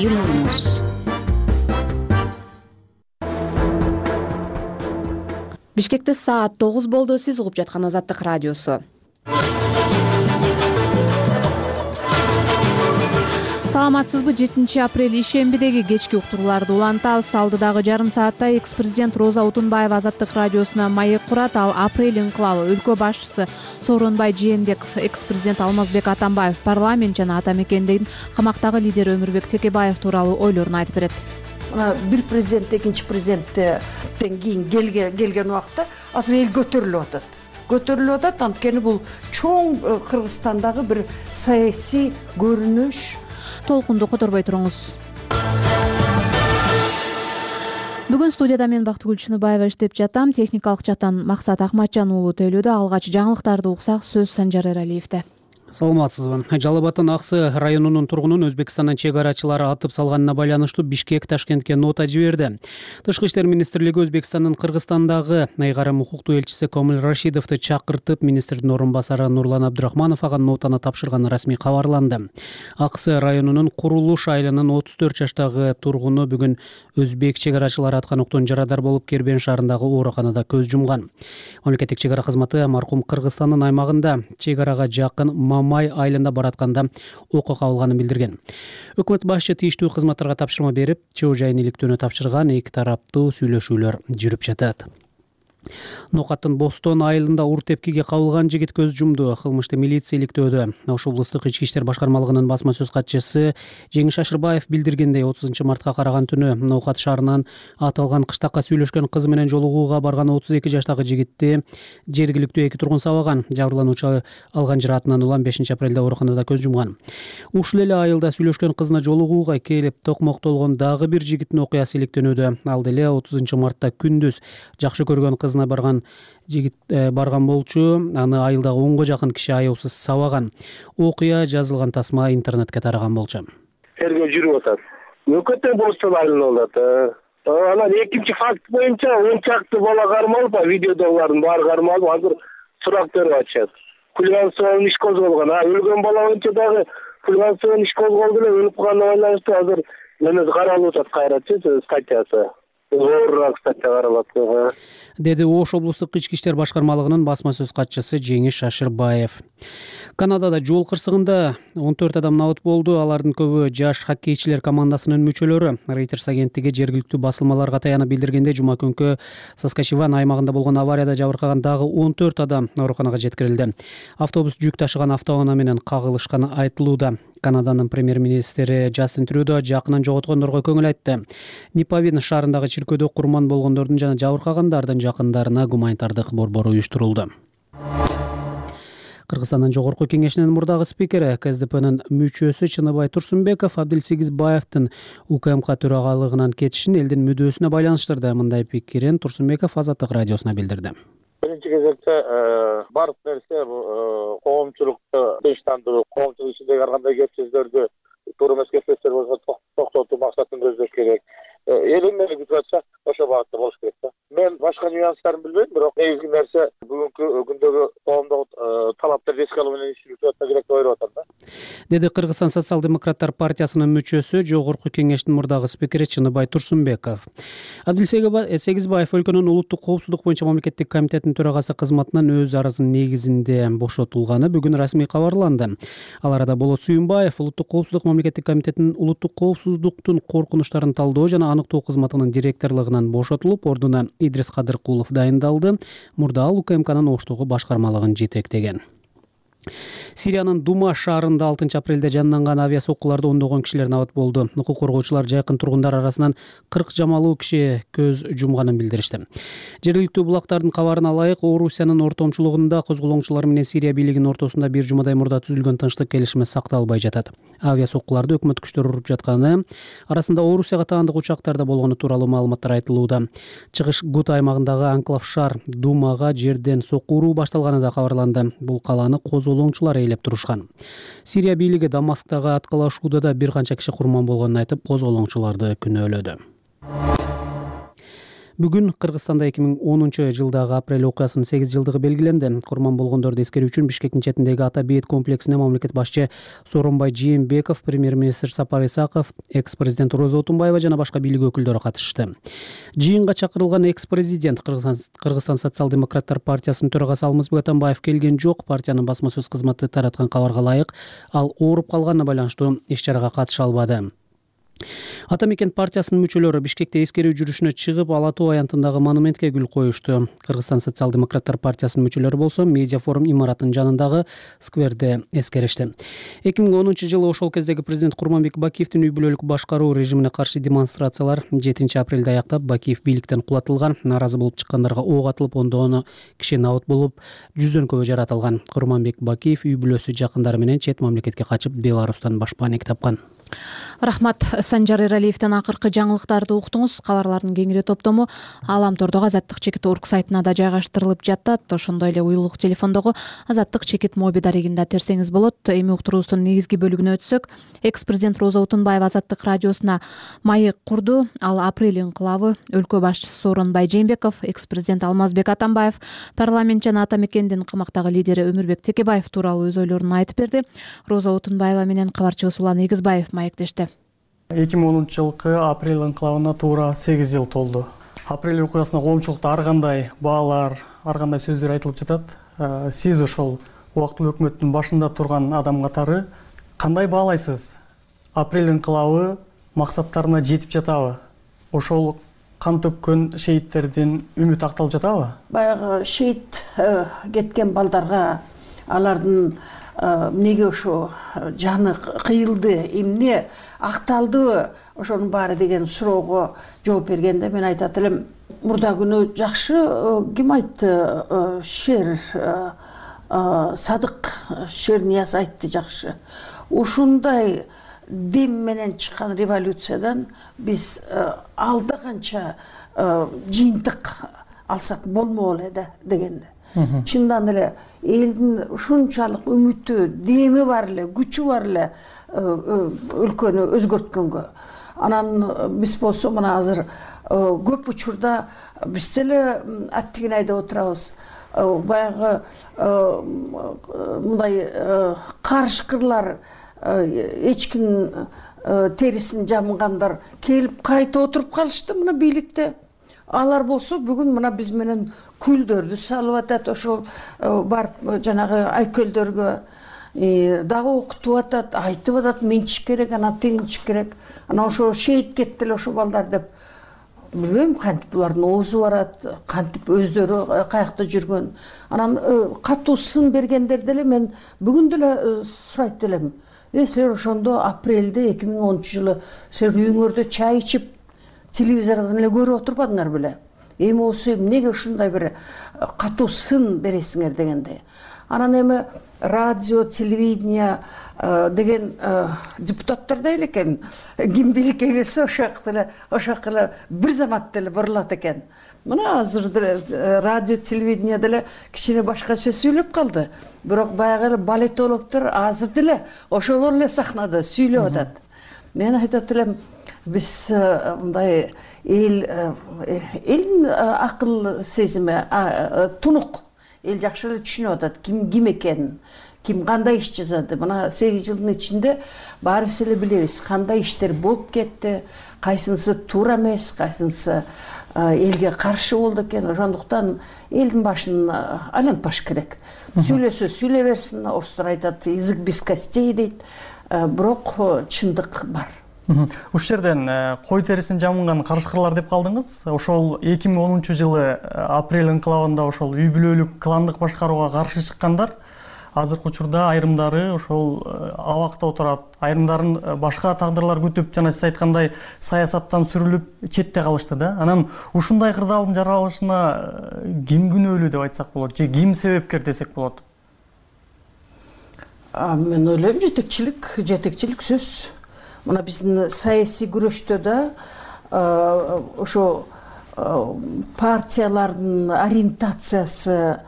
Юлдуз. Бишкекте саат 9 болду. Сиз угуп жаткан Азаттык радиосу. Саламатсызбы? 7-апрель ишембидеги кечки уктурууларды улантабыз. Алдыдагы жарым саатта экс-президент Роза Отунбаева Азаттык радиосуна маек курат. Ал апрель инкылабы, өлкө башчысы Сооронбай Жээнбеков, экс-президент Алмазбек Атамбаев, парламент жана ата мекендин камактагы лидери Өмүрбек Текебаев тууралуу ойлорун айтып берет. Бир президент экинчи президенттен кийин келген убакта азыр эл көтөрүлүп атат. Анткени бул чоң Кыргызстандагы бир саясий көрүнүш. Толкунду которбой туруңуз. Бүгүн студияда мен Бактыгүл Чыныбаева иштеп жатам. Техникалык жактан Максат Акматжан уулу тейлөөдө. Алгач жаңылыктарды уксак, сөз Санжар Эралиевде. Саламатсызбы? Жалал Абадтын Аксы районунун тургунун Өзбекстандын чек арачылары атып салганына байланыштуу Бишкек Ташкентке нота жиберди. Тышкы иштер министрлиги Өзбекстандын Кыргызстандагы айгарым укуктуу элчиси Комил Рашидовду чакыртып, министрдин орун басары Нурлан Абдрахманов ага нотаны тапшырганы расмий кабарланды. Аксы районунун Курулуш айылынын 34 жаштагы тургуну бүгүн өзбек чек арачылары аткан октон жарадар болуп Кербен шаарындагы ооруканада көз жумган. Мамлекеттик чек ара кызматы маркум Кыргызстандын аймагында чек арага жакын Мамай айылында баратканда окуу кабылганын билдирген. Өкмөт башчы тийиштүү кызматтарга тапшырма берип, чоо жайын иликтөөнү тапшырган. Эки тараптуу сүйлөшүүлөр жүрүп жатат. Нокаттын Бостон айылында ур тепкиге кабылган жигит көз жумду. Кылмышты милиция иликтөөдө. Ош облустук ички иштер башкармалыгынын басма сөз катчысы Жеңиш Ашырбаев билдиргендей, 30 мартка караган түнү Нокат шаарынан аталган кыштакка сүйлөшкөн кызы менен жолугууга барган 32 жаштагы жигитти жергиликтүү эки тургун сабаган. Жабырлануучу алган жараатынан улам 5-апрелде ооруканада көз жумган. Ушул эле айылда сүйлөшкөн кызына жолугууга келип токмоктолгон дагы бир жигиттин окуясы иликтөнүүдө. Ал деле 30 мартта күндүз жакшы көргөн кызына барган жигит барган болчу. Аны айылдагы 10го жакын киши аяусыз сабаган. Окуя жазылган тасма интернетке тараган болчу. Тергөө жүрүп атат. Өкөттөн Бостон айылында болот. Анан экинчи факт боюнча 10 чакты бала кармалып, видеодогулардын баары кармалып, азыр сурак берип атышат. Хулиганстводан иш козголгон. Өлгөн бала боюнча дагы хулиганстводан иш козголду эле, өлүп калганына байланыштуу азыр эмес каралып атат кайрачы статьясы. Деди Ош облустук ички иштер башкармалыгынын басма сөз катчысы Жеңиш Ашырбаев. Канадада жол кырсыгында 14 адам набыт болду. Алардын көбү жаш хоккейчилер командасынын мүчөлөрү. Reuters агенттиги жергиликтүү басылмаларга таянып билдиргенде, жума күнкү Саскачеван аймагында болгон аварияда жабыркаган дагы 14 адам ооруканага жеткирилди. Автобус жүк ташыган автоунаа менен кагылышканы айтылууда. Канаданын премьер-министри Джастин Трюдо жакынын жоготкондорго көңүл айтты. Нипавин шаарындагы чиркөөдө курман болгондордун жана жабыркагандардын жакындарына гуманитардык борбор уюштурулду. Кыргызстандын жогорку кеңешинин мурдагы спикери, КСДПнын мүчөсү Чыныбай Турсунбеков Абдилсегизбаевдин УКМК төрагалыгынан кетишин элдин мүдөөсүнө байланыштырды. Мындай пикирин Турсунбеков Азаттык радиосуна билдирди. Биринчи кезекте бардык нерсе коомчулукту тынчтандыруу, коомчулук ичиндеги ар кандай кеп сөздөрдү туура эмес кеп сөздөр болсо токтотуу максатын көздөш керек. Эл эмне күтүп атса ошол багытта болуш керек да. Мен башка нюанстарын билбейм, бирок негизги нерсе бүгүнкү күндөгү коомдогу талаптарды эске алуу менен иш жүрүп атса керек деп ойлоп атам да. Деди Кыргызстан социал-демократтар партиясынын мүчөсү, жогорку кеңештин мурдагы спикери Чыныбай Турсунбеков. Абдилсегизбаев өлкөнүн улуттук коопсуздук боюнча мамлекеттик комитеттин төрагасы кызматынан өз арызынын негизинде бошотулганы бүгүн расмий кабарланды. Ал арада Болот Сүйүнбаев улуттук коопсуздук мамлекеттик комитетинин улуттук коопсуздуктун коркунучтарын талдоо жана аныктоо кызматынын директорлугунан бошотулуп, ордуна Идрис Кадыркулов дайындалды. Мурда ал УКМКнын Оштогу башкармалыгын жетектеген. Сириянын Дума шаарында 6-апрелде жанынган авиа соккуларда ондогон кишилер набыт болду. Укук коргоочулар жакын тургундар арасынан 40 жамалуу киши көз жумганын билдиришти. Жергиликтүү булактардын кабарына ылайык, Орусиянын ортомчулугунда козголоңчулар менен Сирия бийлигинин ортосунда бир жумадай мурда түзүлгөн тынчтык келишими сакталбай жатат. Авиа соккуларды өкмөт күчтөрү уруп жатканы, арасында Орусияга таандык учактарда болгону тууралуу маалыматтар айтылууда. Чыгыш Гут аймагындагы анклав шаар Думага жерден сокку уруу башталганы да кабарланды. Бул калааны козголоңчулар ээлеп турушкан. Сирия бийлиги Дамасктагы аткылашууда да бир канча киши курман болгонун айтып, козголоңчуларды күнөөлөдү. Бүгүн Кыргызстанда 2010-жылдагы апрель окуясынын 8 жылдыгы белгиленди. Курман болгондорду эскерүү үчүн Бишкектин четиндеги Ата бейит комплексине мамлекет башчы Сооронбай Жээнбеков, премьер-министр Сапар Исаков, экс-президент Роза Отунбаева жана башка бийлик өкүлдөрү катышты. Жыйынга чакырылган экс-президент Кыргызстан социал-демократтар партиясынын төрагасы Алмазбек Атамбаев келген жок. Партиянын басма сөз кызматы тараткан кабарга ылайык, ал ооруп калганына байланыштуу иш-чарага катыша албады. Ата мекен партиясынын мүчөлөрү Бишкекте эскерүү жүрүшүнө чыгып, Ала Тоо аянтындагы монументке гүл коюшту. Кыргызстан социал-демократтар партиясынын мүчөлөрү болсо медиа форум имаратынын жанындагы скверде эскеришти. 2010-жылы ошол кездеги президент Курманбек Бакиевдин үй бүлөлүк башкаруу режимине каршы демонстрациялар 7-апрелде аяктап, Бакиев бийликтен кулатылган. Нааразы болуп чыккандарга ок атылып, ондогону киши набыт болуп, жүздөн көбү жаратылган. Курманбек Бакиев үй бүлөсү, жакындары менен чет мамлекетке качып, Беларустан башпаанек тапкан. Рахмат. Санжар Эралиевден акыркы жаңылыктарды уктуңуз. Кабарлардын кеңири топтому Ааламтордогу Азаттык чекит орг сайтына да жайгаштырылып жатат. Ошондой эле уюлдук телефондогу Азаттык чекит моби дарегинде терсеңиз болот. Эми уктуруубуздун негизги бөлүгүнө өтсөк, экс-президент Роза Отунбаева Азаттык радиосуна маек курду. Ал апрель инкылабы, өлкө башчысы Сооронбай Жээнбеков, экс-президент Алмазбек Атамбаев, парламент жана Ата мекендин камактагы лидери Өмүрбек Текебаев тууралуу өз ойлорун айтып берди. Роза Отунбаева менен кабарчыбыз Улан Эгизбаев маектешти. 2010-жылкы апрель инкылабына туура 8 жыл толду. Апрель окуясына коомчулукта ар кандай баалар, ар кандай сөздөр айтылып жатат. Сиз ошол убактылуу өкмөттүн башында турган адам катары кандай баалайсыз? Апрель инкылабы максаттарына жетип жатабы? Ошол кан төккөн шейттердин үмүтү акталып жатабы? Баягы шейит кеткен балдарга алардын эмнеге ошо жаны кыйылды, эмне акталдыбы, ошонун баары деген суроого жооп бергенде мен айтат элем, мурда күнү жакшы ким айтты, Шер Садык Шернияз айтты жакшы. Ушундай дем менен чыккан революциядан биз алда канча жыйынтык алсак болмок эле да дегенде. Чындан эле элдин ушунчалык үмүтү, деми бар эле, күчү бар эле өлкөнү өзгөрткөнгө. Анан биз болсо мына азыр көп учурда биз деле аттигин айдап отурабыз. Баягы мындай карышкырлар, эчкинин терисин жамгандар келип кайта отуруп калышты мына бийликте. Алар болсо бүгүн мына биз менен күлдөрдү салып атат, ошол барып жанагы айкөлдөргө дагы окутуп атат, айтып атат, менчиш керек, анан тегинчиш керек. Анан ошо шейит кетти эле ошо балдар деп. Билбейм, кантип булардын оозу барат, кантип өздөрү каякта жүргөн. Анан катуу сын бергендер деле мен бүгүн деле сурайт элем. Силер ошондо апрелде 2010-жылы силер үйүңөрдө чай ичип телевизордон эле көрүп отурбадыңар беле? Эми болсо эмнеге ушундай бир катуу сын бересиңер дегенде. Анан эми радио, телевидение деген депутаттар да эле экен. Ким бийликке келсе ошак эле бир замат деле бурулат экен. Мына азыр деле радио, телевидение деле кичине башкача сүйлөп калды. Бирок баягы эле балетологдор азыр деле ошолор эле сахнада сүйлөп атат. Мен айтат элем, биз мындай элдин акыл сезими тунук, эл жакшы эле түшүнүп атат ким экенин, ким кандай иш жасады. Мына 8 жылдын ичинде баарыбыз эле билебиз кандай иштер болуп кетти, кайсынысы туура эмес, кайсынысы элге каршы болду экен. Ошондуктан элдин башын айлантпаш керек. Сүйлөсө сүйлөй берсин, орустар айтат, язык без костей дейт. Бирок чындык бар. Ушул жерден кой терисин жамынган карышкырлар деп калдыңыз. Ошол 2010-жылы апрель инкылабында ошол үй бүлөлүк кландык башкарууга каршы чыккандар азыркы учурда айрымдары ошол абакта отурат, айрымдарын башка тагдырлар күтүп, жана сиз айткандай саясаттан сүрүлүп четте калышты да. Анан ушундай кырдаалдын жаралышына ким күнөөлүү деп айтсак болот, же ким себепкер десек болот? Мен ойлойм, жетекчилик сөз. Мына биздин саясий күрөштө да ошо партиялардын ориентациясы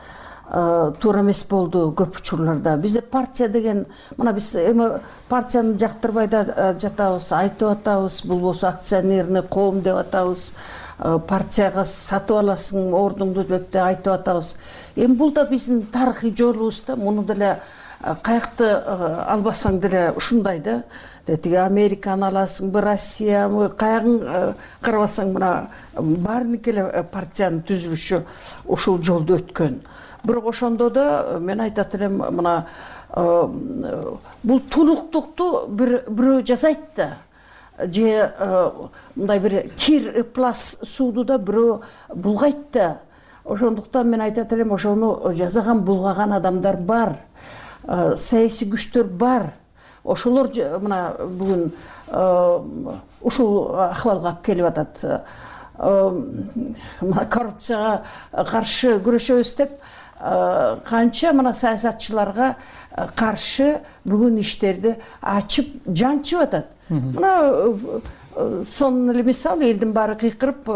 туура эмес болду көп учурларда. Бизде партия деген, мына биз эми партияны жактырбай да жатабыз, айтып атабыз, бул болсо акционерный коом деп атабыз. партияга сатып аласың ордуңду деп айтып атабыз. Эми бул да биздин тарыхый жолубуз да, муну деле каякты албасаң деле ушундай да. Тиги Американы аласыңбы, Россиябы, каягын карабасаң мына баарыныкы эле партиянын түзүлүшү ушул жолду өткөн. Бирок ошондо да мен айтат элем, мына бул тунуктукту бирөө жасайт да, же мындай бир кир плас сууду да бирөө булгайт да. Ошондуктан мен айтат элем, ошону жасаган, булгаган адамдар бар, саясий күчтөр бар. Ошолор мына бүгүн ушул акыбалга алып келип атат. Мына коррупцияга каршы күрөшөбүз деп канча мына саясатчыларга каршы бүгүн иштерди ачып жанчып атат. Мына сонун эле мисал, элдин баары кыйкырып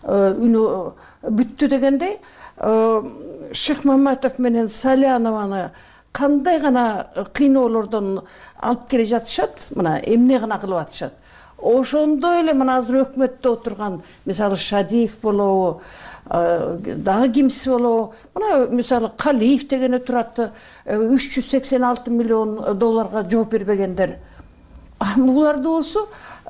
үнү бүттү дегендей, Шейх Маматов менен Салянованы кандай гана кыйноолордон алып келе жатышат, мына эмне гана кылып атышат. Ошондой эле мына азыр өкмөттө отурган, мисалы Шадиев болобу, дагы кимси болобу, мына мисалы Калиев деген турат, 386 миллион долларга жооп бербегендер. Буларды болсо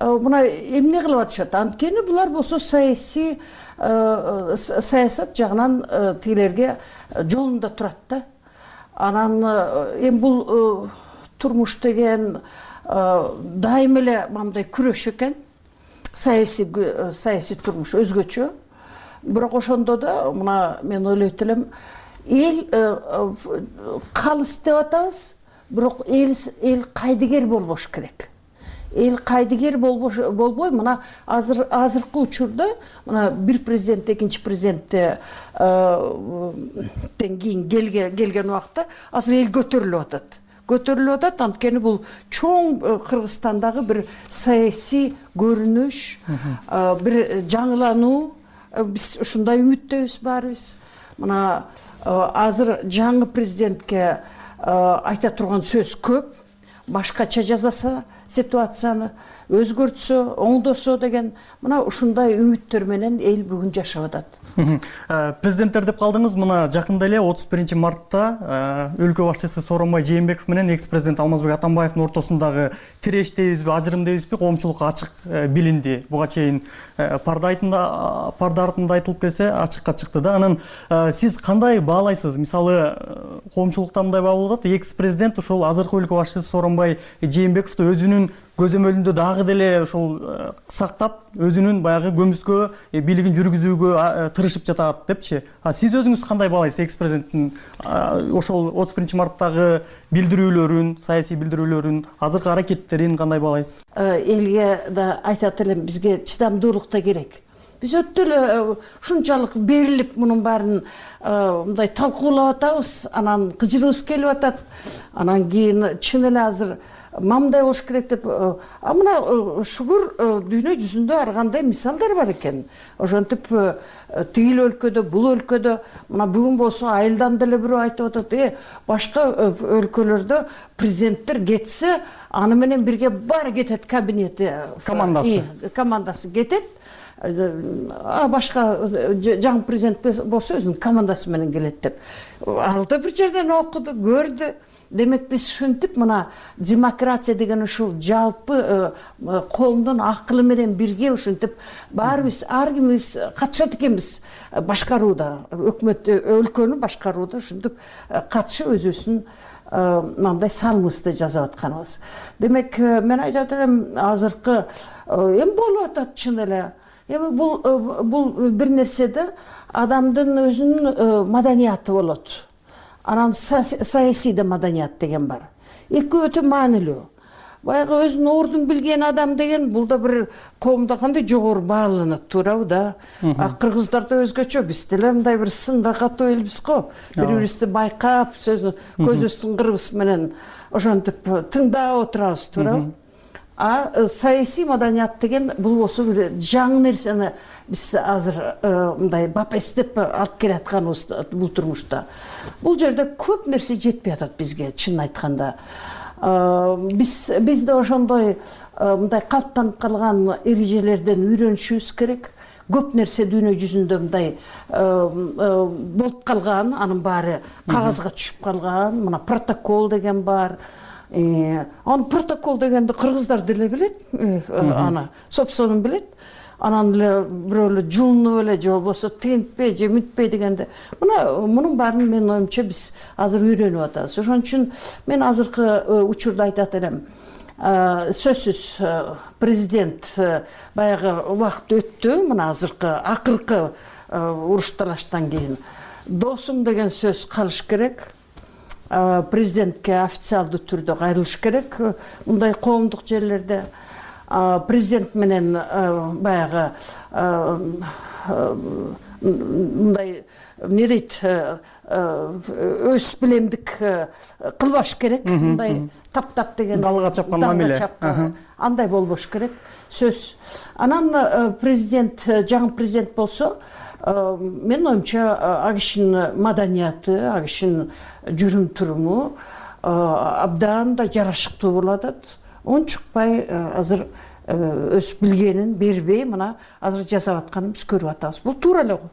мына эмне кылып атышат? Анткени булар болсо саясий саясат жагынан тигилерге жолунда турат да. Анан эми бул турмуш деген дайым эле мындай күрөш экен. Саясий турмуш өзгөчө. Бирок ошондо да мына мен ойлойт элем, эл калыс деп атабыз, бирок эл кайдыгер болбош керек. Эл кайдыгер болбой, мына азыркы учурда мына бир президент экинчи президенттен кийин келген убакта азыр эл көтөрүлүп атат. Анткени бул чоң Кыргызстандагы бир саясий көрүнүш, бир жаңылануу. Биз ушундай үмүттөбүз баарыбыз. Мына азыр жаңы президентке айта турган сөз көп. Башкача жасаса ситуацияны, өзгөртсө, оңдосо деген мына ушундай үмүттөр менен эл бүгүн жашап атат. Президенттер деп калдыңыз. Мына жакында эле 31 мартта өлкө башчысы Сооронбай Жээнбеков менен экс-президент Алмазбек Атамбаевдин ортосундагы тиреш дейбизби, ажырым дейбизби, коомчулукка ачык билинди. Буга чейин парда артында айтылып келсе, ачыкка чыкты да. Анан сиз кандай баалайсыз? Мисалы, коомчулукта мындай баа болуп атат, экс-президент ушул азыркы өлкө башчысы Сооронбай Жээнбековду өзүнүн көзөмөлүндө дагы деле ошол сактап, өзүнүн баягы көмүскө бийлигин жүргүзүүгө тырышып жатат депчи. Сиз өзүңүз кандай баалайсыз экс-президенттин ошол 31 марттагы билдирүүлөрүн, саясий билдирүүлөрүн, азыркы аракеттерин кандай баалайсыз? Элге да айтат элем, бизге чыдамдуулук да керек. Биз өтө эле ушунчалык берилип мунун баарын мындай талкуулап атабыз, анан кыжырыбыз келип атат. Анан кийин чын эле азыр мамдай болуш керек деп, мына шүгүр дүйнө жүзүндө ар кандай мисалдар бар экен. Ошентип тигил өлкөдө, бул өлкөдө, мына бүгүн болсо айылдан деле бирөө айтып атат, башка өлкөлөрдө президенттер кетсе, аны менен бирге баары кетет, кабинети, командасы кетет. Башка жаңы президент болсо өзүнүн командасы менен келет деп. Ал да бир жерден окуду, көрдү. Демек биз ушинтип мына демократия деген ушул жалпы коомдун акылы менен бирге ушинтип баарыбыз, ар кимибиз катышат экенбиз башкарууда, өкмөт өлкөнү башкарууда ушинтип катышып өзүбүздүн мындай салымыбызды жасап атканыбыз. Демек мен айтат элем, азыркы эми болуп атат чын эле. Эми бул бир нерседе адамдын өзүнүн маданияты болот. Анан саясий да маданият деген бар. Экөө өтө маанилүү. Баягы өзүнүн ордун билген адам деген бул да бир коомдо кандай жогору бааланат, туурабы да? Кыргыздарда өзгөчө, биз деле мындай бир сынга катуу элбиз го. Бири-бирибизди байкап, көзүбүздүн кырыбыз менен ошентип тыңдап отурабыз, туурабы? Саясий маданият деген бул болсо жаңы нерсени биз азыр мындай бапестеп алып келатканыбыз бул турмушта. Бул жерде көп нерсе жетпей атат бизге, чын айтканда. Биз да ошондой мындай калыптанып калган эрежелерден үйрөнүшүбүз керек. көп нерсе дүйнө жүзүндө мындай болуп калган, анын баары кагазга түшүп калган. Мына протокол деген бар. Аны протокол дегенди кыргыздар деле билет, аны собственный билет. Анан эле бирөө эле жулунуп эле же болбосо тентпей же мүтпей дегенде, мунун баарын менин оюмча биз азыр үйрөнүп атабыз. Ошон үчүн мен азыркы учурда айтат элем, сөзсүз президент баягы убакыт өттү, мына азыркы акыркы уруш талаштан кийин досум деген сөз калыш керек. Президентке официалдуу түрдө кайрылыш керек мындай коомдук жерлерде. Президент менен баягы мындай эмне дейт, өз билемдик кылбаш керек, мындай таптап деген далга чапкан мамиле, андай болбош керек сөз. Анан президент, жаңы президент болсо, менин оюмча ал кишинин маданияты, ал кишинин жүрүм туруму абдан да жарашыктуу болуп атат. Ончукпай азыр өз билгенин бербей, мына азыр жасап атканын биз көрүп атабыз. Бул туура эле го.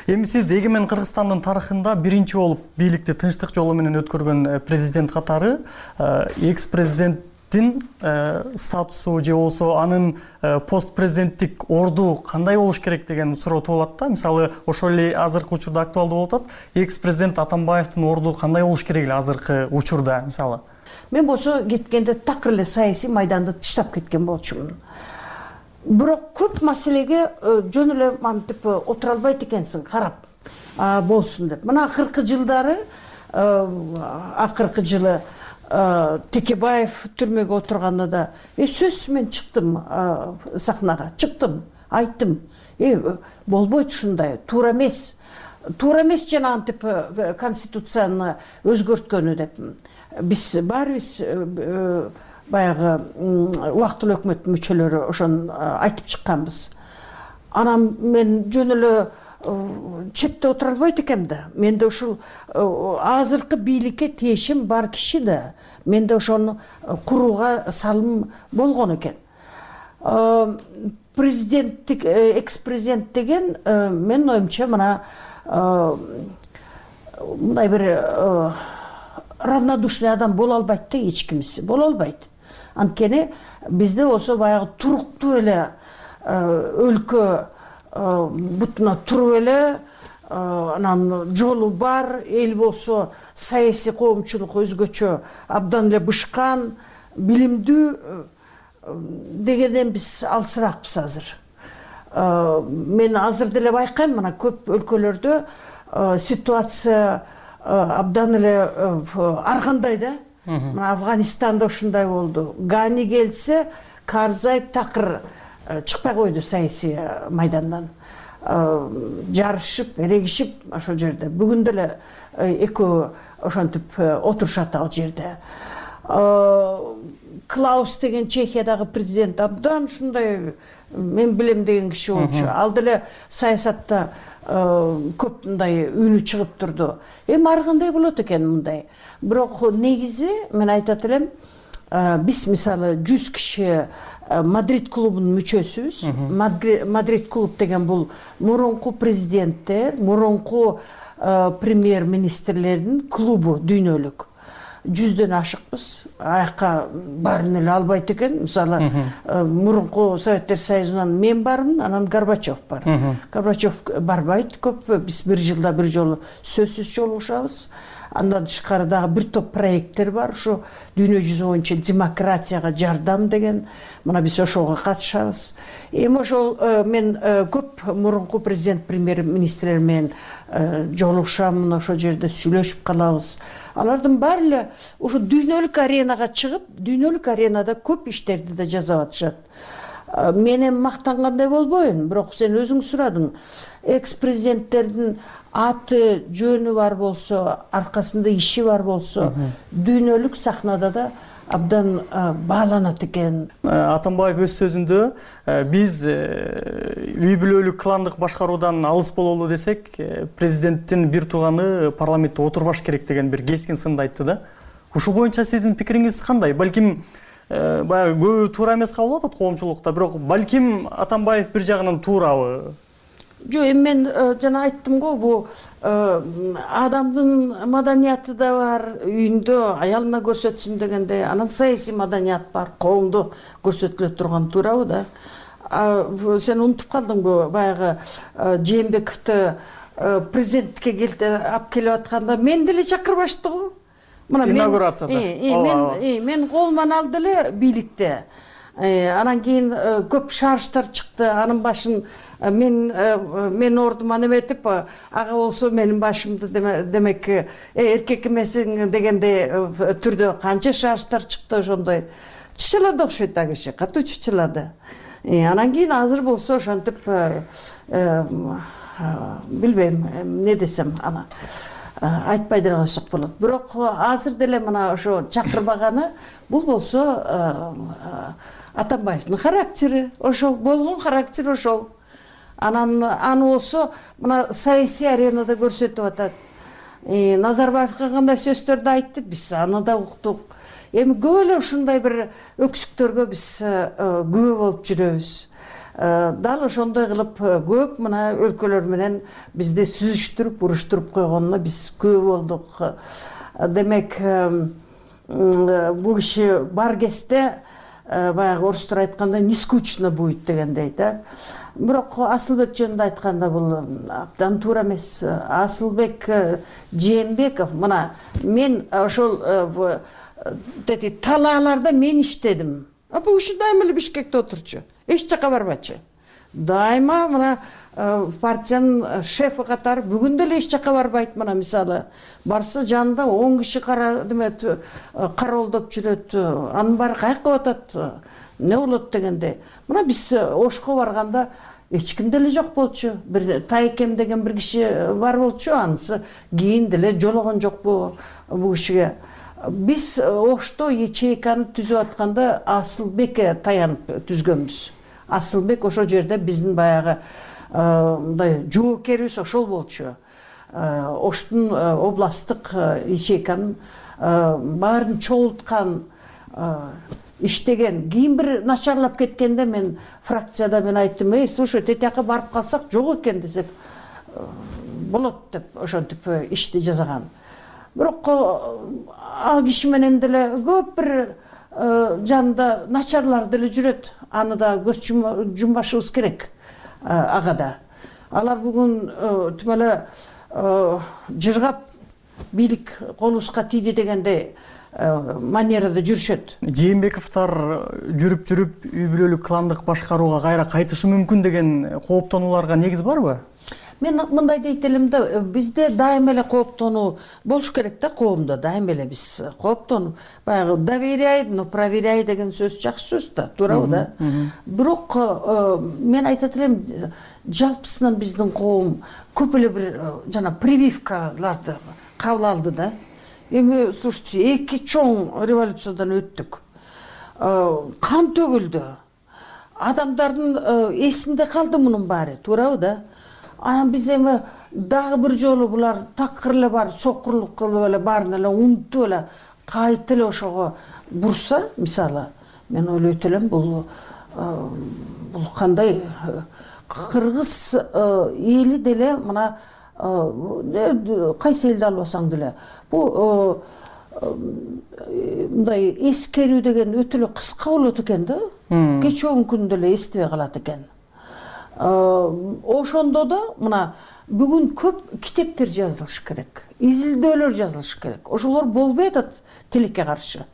Эми сиз эгемен Кыргызстандын тарыхында биринчи болуп бийликти тынчтык жолу менен өткөргөн президент катары экс-президенттин статусу же болбосо анын пост президенттик орду кандай болуш керек деген суроо туулат да. Мисалы, ошол эле азыркы учурда актуалдуу болуп атат. Экс-президент Атамбаевдин орду кандай болуш керек эле азыркы учурда, мисалы? Мен болсо кеткенде такыр эле саясий майданды тыштап кеткен болчумун. Бирок көп маселеге жөн эле мантип отура албайт экенсиң, карап болсун деп. Мына акыркы жылдары, акыркы жылы Текебаев түрмөгө отурганда сөзсүз мен чыктым сахнага, чыктым, айттым. Болбойт ушундай, туура эмес. Туура эмес жанагынтип конституцияны өзгөрткөнү деп. Биз баарыбыз баягы убактылуу өкмөттүн мүчөлөрү ошону айтып чыкканбыз. Анан мен жөн эле четте отура албайт экенмин да. Менде ушул азыркы бийликке тиешим бар киши да. Менде ошону курууга салым болгон экен. Президенттик, экс-президент деген менин оюмча мына мындай бир равнодушный адам боло албайт да, эч кимиси боло албайт. Анткени бизде болсо баягы туруктуу эле өлкө бутуна туруп эле, анан жолу бар, эл болсо саясий коомчулук өзгөчө абдан эле бышкан, билимдүү дегенден биз алысыраакпыз азыр. Мен азыр деле байкайм, мына көп өлкөлөрдө ситуация абдан эле ар кандай да. Мына Афганистанда ушундай болду. Гани келсе, Карзай такыр чыкпай койду саясий майдандан. Жарышып, эрегишип ошол жерде. Бүгүн деле экөө ошентип отурушат ал жерде. Клаус деген Чехиядагы президент абдан ушундай мен билем деген киши болчу. Ал деле саясатта көп мындай үнү чыгып турду. Ар кандай болот экен мындай. Бирок негизи мен айтат элем, биз мисалы 100 киши Мадрид клубунун мүчөсүбүз. Мадрид клуб деген бул мурунку президенттер, мурунку премьер-министрлердин клубу дүйнөлүк. 100дөн ашыкпыз. Аякка баарын эле албайт экен. Мисалы, мурунку Советтер Союзунан мен бармын, анан Горбачев бар. Горбачев барбайт көп. Биз бир жылда бир жолу сөзсүз жолугушабыз. Андан тышкары дагы бир топ проекттер бар. Ушу дүйнө жүзү боюнча демократияга жардам деген. Мына биз ошого катышабыз. Эми ошол мен көп мурунку президент, премьер-министрлер менен жолугушам, ошол жерде сүйлөшүп калабыз. Алардын баары эле ушу дүйнөлүк аренага чыгып, дүйнөлүк аренада көп иштерди да жасап атышат. Менен мактангандай болбойн, бирок сен өзүң сурадың. Экс-президенттердин аты, жөнү бар болсо, аркасында иши бар болсо, дүйнөлүк сахнада да абдан бааланат экен. Атамбаев өз сөзүндө биз үй бүлөлүк кландык башкаруудан алыс бололу десек, президенттин бир тууганы парламентте отурбаш керек деген бир кескин сынды айтты да. Ушул боюнча сиздин пикириңиз кандай? Балким баягы көбү туура эмес кабыл алып атат коомчулукта, бирок балким Атамбаев бир жагынан туурабы? Жок, эми мен жана айттым го, бул адамдын маданияты да бар, үйүндө аялына көрсөтсүн дегенде, анан саясий маданият бар, коомдо көрсөтүлө турган, туурабы да. Сен унутуп калдыңбы, баягы Жээнбековду президенттикке алып келип атканда мен деле чакырбашты го. Мына инаугурацияда. Мен колуман алды эле бийликте. Анан кийин көп шаарыштар чыкты. Анын башын мен ордума неметип, ага болсо менин башымды демек эркек эмесиң дегендей түрдө канча шаарыштар чыкты ошондой. Чычылады окшойт а киши, катуу чычылады. Анан кийин азыр болсо ошентип билбейм эмне десем, ана айтпай деле койсок болот. Бирок азыр деле мына ошо чакырбаганы бул болсо Атамбаевдин характери ошол, болгон характери ошол. Анан аны болсо мына саясий аренада көрсөтүп атат. Назарбаевга кандай сөздөрдү айтты, биз аны да уктук. Эми көп эле ушундай бир өксүктөргө биз күбө болуп жүрөбүз. Дал ошондой кылып көп мына өлкөлөр менен бизди сүзүштүрүп, уруштуруп койгонуна биз күбө болдук. Демек, бул киши бар кезде баягы орустар айтканда нескучно будет дегендей да. Бирок Асылбек жөнүндө айтканда бул абдан туура эмес. Асылбек Жээнбеков, мына мен ошол талааларда мен иштедим. Бул киши дайыма эле Бишкекте отурчу, эч жака барбачы. Дайыма мына партиянын шефи катары бүгүн деле эч жака барбайт. Мына мисалы барса жанында 10 киши кароолдоп жүрөт. Анын баары кайыкка атат, эмне болот дегенде. Мына биз Ошко барганда эч ким деле жок болчу. Бир Тайкем деген бир киши бар болчу, анысы кийин деле жологон жокпу бул кишиге. Биз Ошто ячейканы түзүп атканда Асылбекке таянып түзгөнбүз. Асылбек ошол жерде биздин баягы мындай жоокерибиз ошол болчу. Оштун областтык ячейканын баарын чогулткан, иштеген. Кийин бир начарлап кеткенде мен фракцияда мен айттым, слушай, тетияка барып калсак жок экен десек болот деп ошентип ишти жасаган. Бирок ал киши менен деле көп бир жанында начарлар деле жүрөт. Аны да көз жумбашыбыз керек ага да. Алар бүгүн тим эле жыргап бийлик колубузга тийди дегенде манерада жүрүшөт. Жээнбековдор жүрүп үй бүлөлүк кландык башкарууга кайра кайтышы мүмкүн деген кооптонууларга негиз барбы? Мен мындай дейт элем да, бизде дайыма эле кооптонуу болуш керек да, коомдо дайыма эле биз кооптонуп, баягы доверяй, но проверяй деген сөз жакшы сөз да, туурабы да. Бирок мен айтат элем, жалпысынан биздин коом көп эле бир жана прививкаларды кабыл алды да. Эми слушайте, 2 чоң революциядан өттүк. Кан төгүлдү. Адамдардын эсинде калды мунун баары, туурабы да. Анан биз эми дагы бир жолу булар такыр эле бар, сокурлук кылып эле баарын эле унутуп эле кайта эле ошого бурса, мисалы, мен ойлойт элем, бул кандай кыргыз эли деле мына кайсы элди албасаң деле бул мындай эскерүү деген өтө эле кыска болот экен да. Кечүүн күндө эле эстебей калат экен. Ошондо да мына бүгүн көп китептер жазылыш керек, изилдөөлөр жазылыш керек. Ошолор болбой атат тилекке каршы.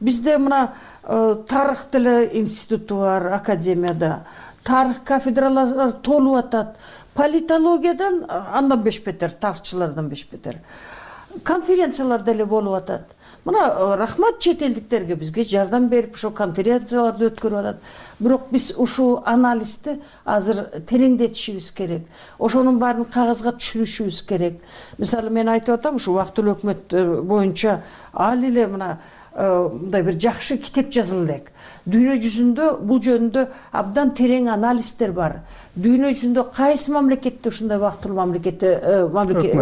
Бизде мына тарых деле институту бар, академияда. Тарых кафедралары толуп атат. Политологиядан андан бешбетер, тарыхчылардан бешбетер. Конференциялар деле болуп атат. Мына рахмат чет элдиктерге, бизге жардам берип ошо конференцияларды өткөрүп атат. Бирок биз ушул анализди азыр тереңдетишибиз керек. Ошонун баарын кагазга түшүрүшүбүз керек. Мисалы мен айтып атам, ушу убактылуу өкмөт боюнча ал эле мына мындай бир жакшы китеп жазыла элек. Дүйнө жүзүндө бул жөнүндө абдан терең анализдер бар. Дүйнө жүзүндө кайсы мамлекетте ушундай убактылуу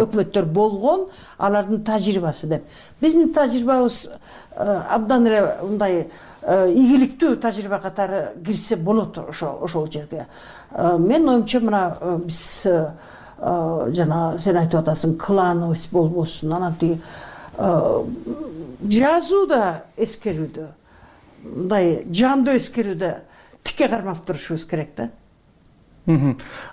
өкмөттөр болгон, алардын тажрыйбасы деп. Биздин тажрыйбабыз абдан эле мындай ийгиликтүү тажрыйба катары кирсе болот ошол жерге. Мен оюмча мына биз жана сен айтып атасың, клановость болбосун, анан тиги жазуу да эскерүүдө, мындай жандуу эскерүүдө тикке кармап турушубуз керек да.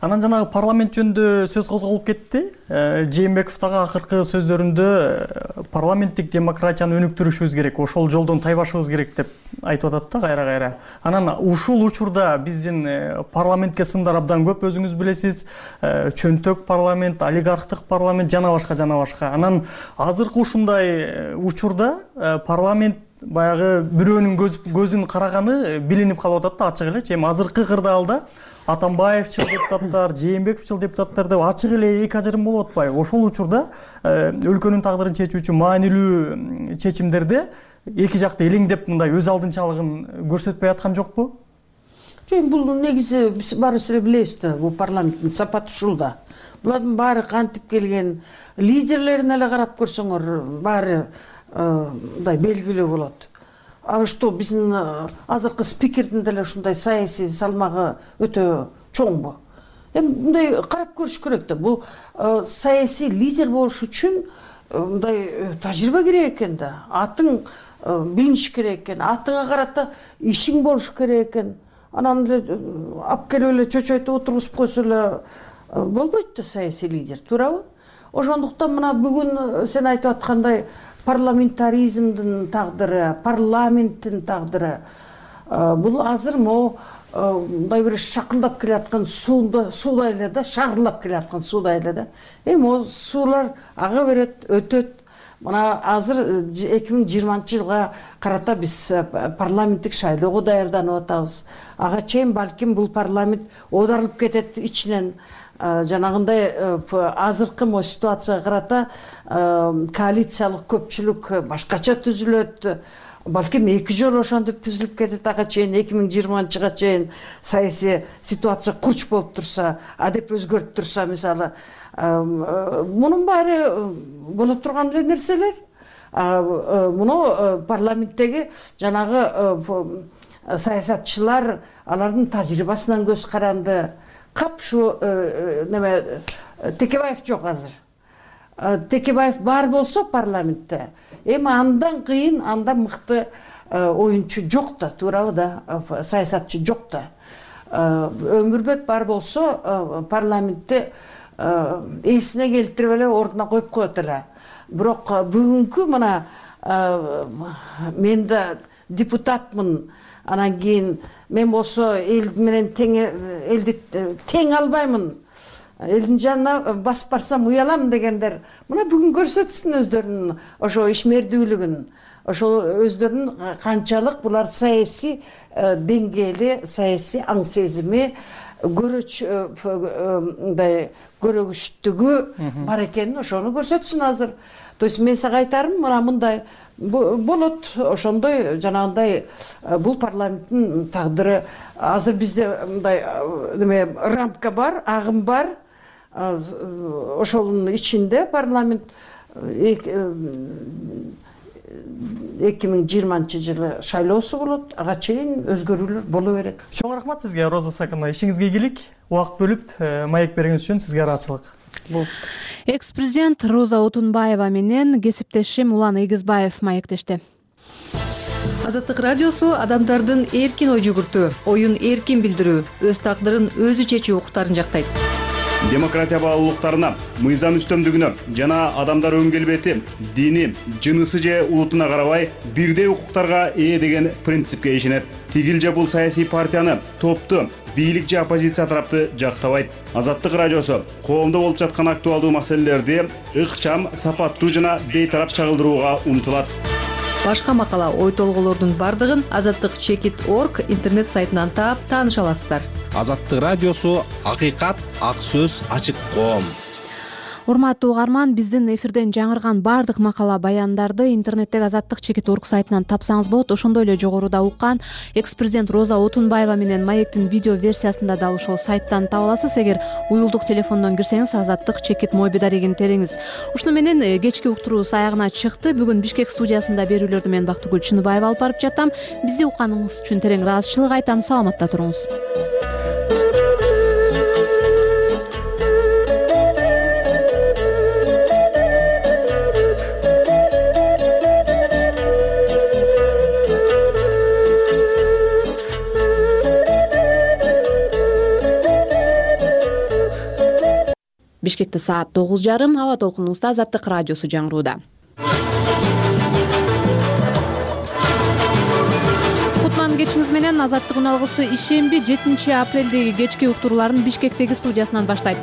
Анан жанагы парламент жөнүндө сөз козголуп кетти. Жээнбеков дагы акыркы сөздөрүндө парламенттик демократияны өнүктүрүшүбүз керек, ошол жолдон тайбашыбыз керек деп айтып атат да кайра-кайра. Анан ушул учурда биздин парламентке сындар абдан көп, өзүңүз билесиз. Чөнтөк парламент, олигархтык парламент жана башка. Анан азыркы ушундай учурда парламент баягы бирөөнүн көзүн караганы билинип калып атат да, ачык элечи. Эми азыркы кырдаалда Атамбаевчыл депутаттар, Жээнбековчул депутаттар деп ачык эле эки ажырым болуп атпайбы? Ошол учурда өлкөнүн тагдырын чечүүчү маанилүү чечимдерде эки жакты элеңдеп мындай өз алдынчалыгын көрсөтпөй аткан жокпу? Жок, бул негизи биз баарыбыз эле билебиз да, бул парламенттин сапаты ушул да. Булардын баары кантип келген, лидерлерин эле карап көрсөңөр, баары мындай белгилүү болот. А что биздин азыркы спикердин деле ушундай саясий салмагы өтө чоңбу? Эми мындай карап көрүш керек да. Бул саясий лидер болуш үчүн мындай тажрыйба керек экен да. Атың билиниш керек экен, атыңа карата ишиң болуш керек экен. Анан эле алып келип эле чочойтуп отургузуп койсо эле болбойт да саясий лидер, туурабы? Ошондуктан мына бүгүн сен айтып аткандай парламентаризмдин тагдыры, парламенттин тагдыры бул азыр могу мындай бир шакылдап келаткан суудай эле да, шарылдап келаткан суудай эле да. Эми могу суулар ага берет, өтөт. Мына азыр 2020-жылга карата биз парламенттик шайлоого даярданып атабыз. Ага чейин балким бул парламент оодарылып кетет ичинен. Жанагындай азыркы ситуацияга карата коалициялык көпчүлүк башкача түзүлөт. Балким эки жолу ошентип түзүлүп кетет ага чейин, 2020-жылга чейин саясий ситуация курч болуп турса, адеп өзгөрүп турса, мисалы, мунун баары боло турган эле нерселер. Муну парламенттеги жанагы саясатчылар алардын тажрыйбасынан көз каранды. Кап ушу неме Текебаев жок азыр. Текебаев бар болсо парламентте, эми андан кыйын, андан мыкты оюнчу жок да, туурабы да, саясатчы жок да. Өмүрбек бар болсо парламентте эсине келтирип эле ордуна коюп коет эле. Бирок бүгүнкү мына мен да депутатмын, анан кийин мен болсо эл менен элди тең албаймын, элдин жанына басып барсам уялам дегендер мына бүгүн көрсөтсүн өздөрүнүн ошо ишмердүүлүгүн, ошол өздөрүнүн канчалык булар саясий деңгээли, саясий аң сезими, көрөгүчтүгү бар экенин ошону көрсөтсүн азыр. То есть мен сага айтарым, мына мындай болот, ошондой жанагындай бул парламенттин тагдыры. Азыр бизде мындай рамка бар, агым бар. Ошонун ичинде парламент 2020-жылы шайлоосу болот, ага чейин өзгөрүүлөр боло берет. Чоң рахмат сизге, Роза Сакыновна. Ишиңизге ийгилик, убакыт бөлүп маек бергениңиз үчүн сизге ыраазычылык. Экс-президент Роза Отунбаева менен кесиптешим Улан Ыйгызбаев маектешти. Азаттык радиосу адамдардын эркин ой жүгүртүү, оюн эркин билдирүү, өз тагдырын өзү чечүү укуктарын жактайт. Демократия баалуулуктарына, мыйзам үстөмдүгүнө жана адамдар өн келбети, дини, жынысы же улутуна карабай бирдей укуктарга ээ деген принципке ишенет. Тигил же бул саясий партияны, топту, бийлик же оппозиция тарапты жактабайт. Азаттык радиосу коомдо болуп жаткан актуалдуу маселелерди ыкчам, сапаттуу жана бейтарап чагылдырууга умтулат. Башка макала, ой толгоолордун бардыгын azattik.org интернет сайтынан таап тааныша аласыздар. Азаттык радиосу — акыйкат, ак сөз, ачык коом. Урматтуу угарман, биздин эфирден жаңырган баардык макала баяндарды интернеттеги Азаттык-орг сайтынан тапсаңыз болот. Ошондой эле жогоруда уккан экс-президент Роза Отунбаева менен маектин видео версиясында дал ошол сайттан таба аласыз. Эгер уюлдук телефондон кирсеңиз Азаттык-моби дарегин териңиз. Ушуну менен кечки уктуруубуз аягына чыкты. Бүгүн Бишкек студиясында берүүлөрдү мен Бактыгүл Чыныбаева алып барып жатам. Бизди укканыңыз үчүн терең ыраазычылык айтам. Саламатта туруңуз. Бишкекте саат 9:30. Аба толкунубузда Азаттык радиосу жаңырууда. Кутман кечиңиз менен Азаттык үналгысы ишемби 7 апрелдеги кечки уктурууларын Бишкектеги студиясынан баштайт.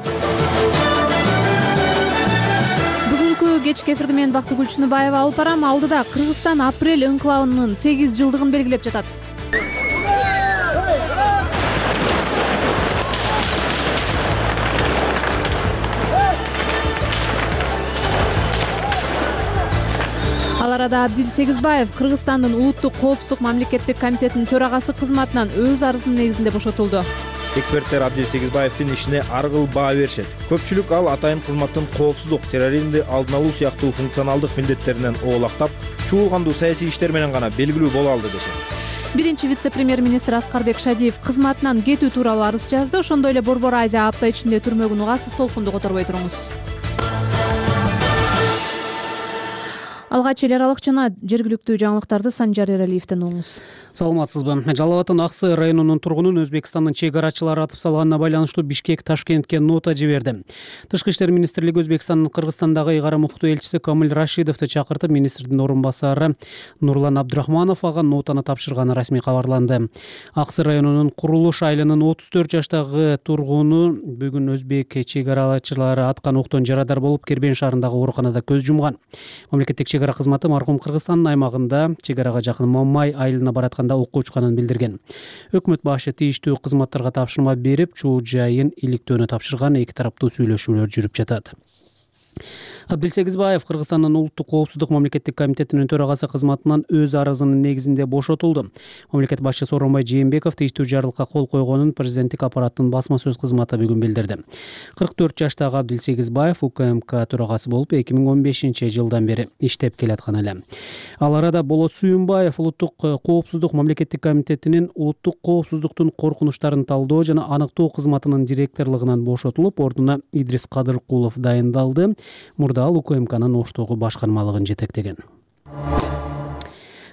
Бүгүнкү кечки эфирди мен Бактыгүл Чыныбаева алып барам. Алдыда Кыргызстан апрель ыңкылабынын 8 жылдыгын белгилеп жатат. Ал арада Абдил Сегизбаев Кыргызстандын улуттук коопсуздук мамлекеттик комитетинин төрагасы кызматынан өз арызынын негизинде бошотулду. Эксперттер Абдил Сегизбаевдин ишине ар кыл баа беришет. Көпчүлүк ал атайын кызматтын коопсуздук, терроризмди алдын алуу сыяктуу функционалдык милдеттеринен оолактап, чуулгандуу саясий иштер менен гана белгилүү боло алды дешет. Биринчи вице-премьер-министр Аскарбек Шадиев кызматынан кетүү тууралуу арыз жазды. Ошондой эле Борбор Азия апта ичинде түрмөгүн угасыз. Толкунду которбой туруңуз. Алгач эл аралык жана жергиликтүү жаңылыктарды Санжар Эралиевден угуңуз. Саламатсызбы. Жалал Абадтын Аксы районунун тургунун Өзбекстандын чек арачылары атып салганына байланыштуу Бишкек Ташкентке нота жиберди. Тышкы иштер министрлиги Өзбекстандын Кыргызстандагы ыйгарым укуктуу элчиси Камил Рашидовду чакыртып, министрдин орун басары Нурлан Абдрахманов ага нотаны тапшырганы расмий кабарланды. Аксы районунун Курулуш айылынын 34 жаштагы тургуну бүгүн өзбек чек арачылары аткан октон жарадар болуп, Кербен шаарындагы ооруканада көз жумган. Мамлекеттик чек ара кызматы маркум Кыргызстандын аймагында чек арага жакын Мамай айылына баратканда окко учканын билдирген. Өкмөт башы тийиштүү кызматтарга тапшырма берип, чуу жайын иликтөөнү тапшырган. Эки тараптуу сүйлөшүүлөр жүрүп жатат. Абдил Сегизбаев Кыргызстандын улуттук коопсуздук мамлекеттик комитетинин төрагасы кызматынан өз арызынын негизинде бошотулду. Мамлекет башчысы Сооронбай Жээнбеков тийиштүү жарлыкка кол койгонун президенттик аппараттын басма сөз кызматы бүгүн билдирди. 44 жаштагы Абдил Сегизбаев УКМК төрагасы болуп 2015-жылдан бери иштеп келаткан эле. Ал арада Болот Сүйүнбаев улуттук коопсуздук мамлекеттик комитетинин улуттук коопсуздуктун коркунучтарын талдоо жана аныктоо кызматынын директорлугунан бошотулуп, ордуна Идрис Кадыркулов дайындалды. Мурда ал УКМКнын Оштогу башкармалыгын жетектеген.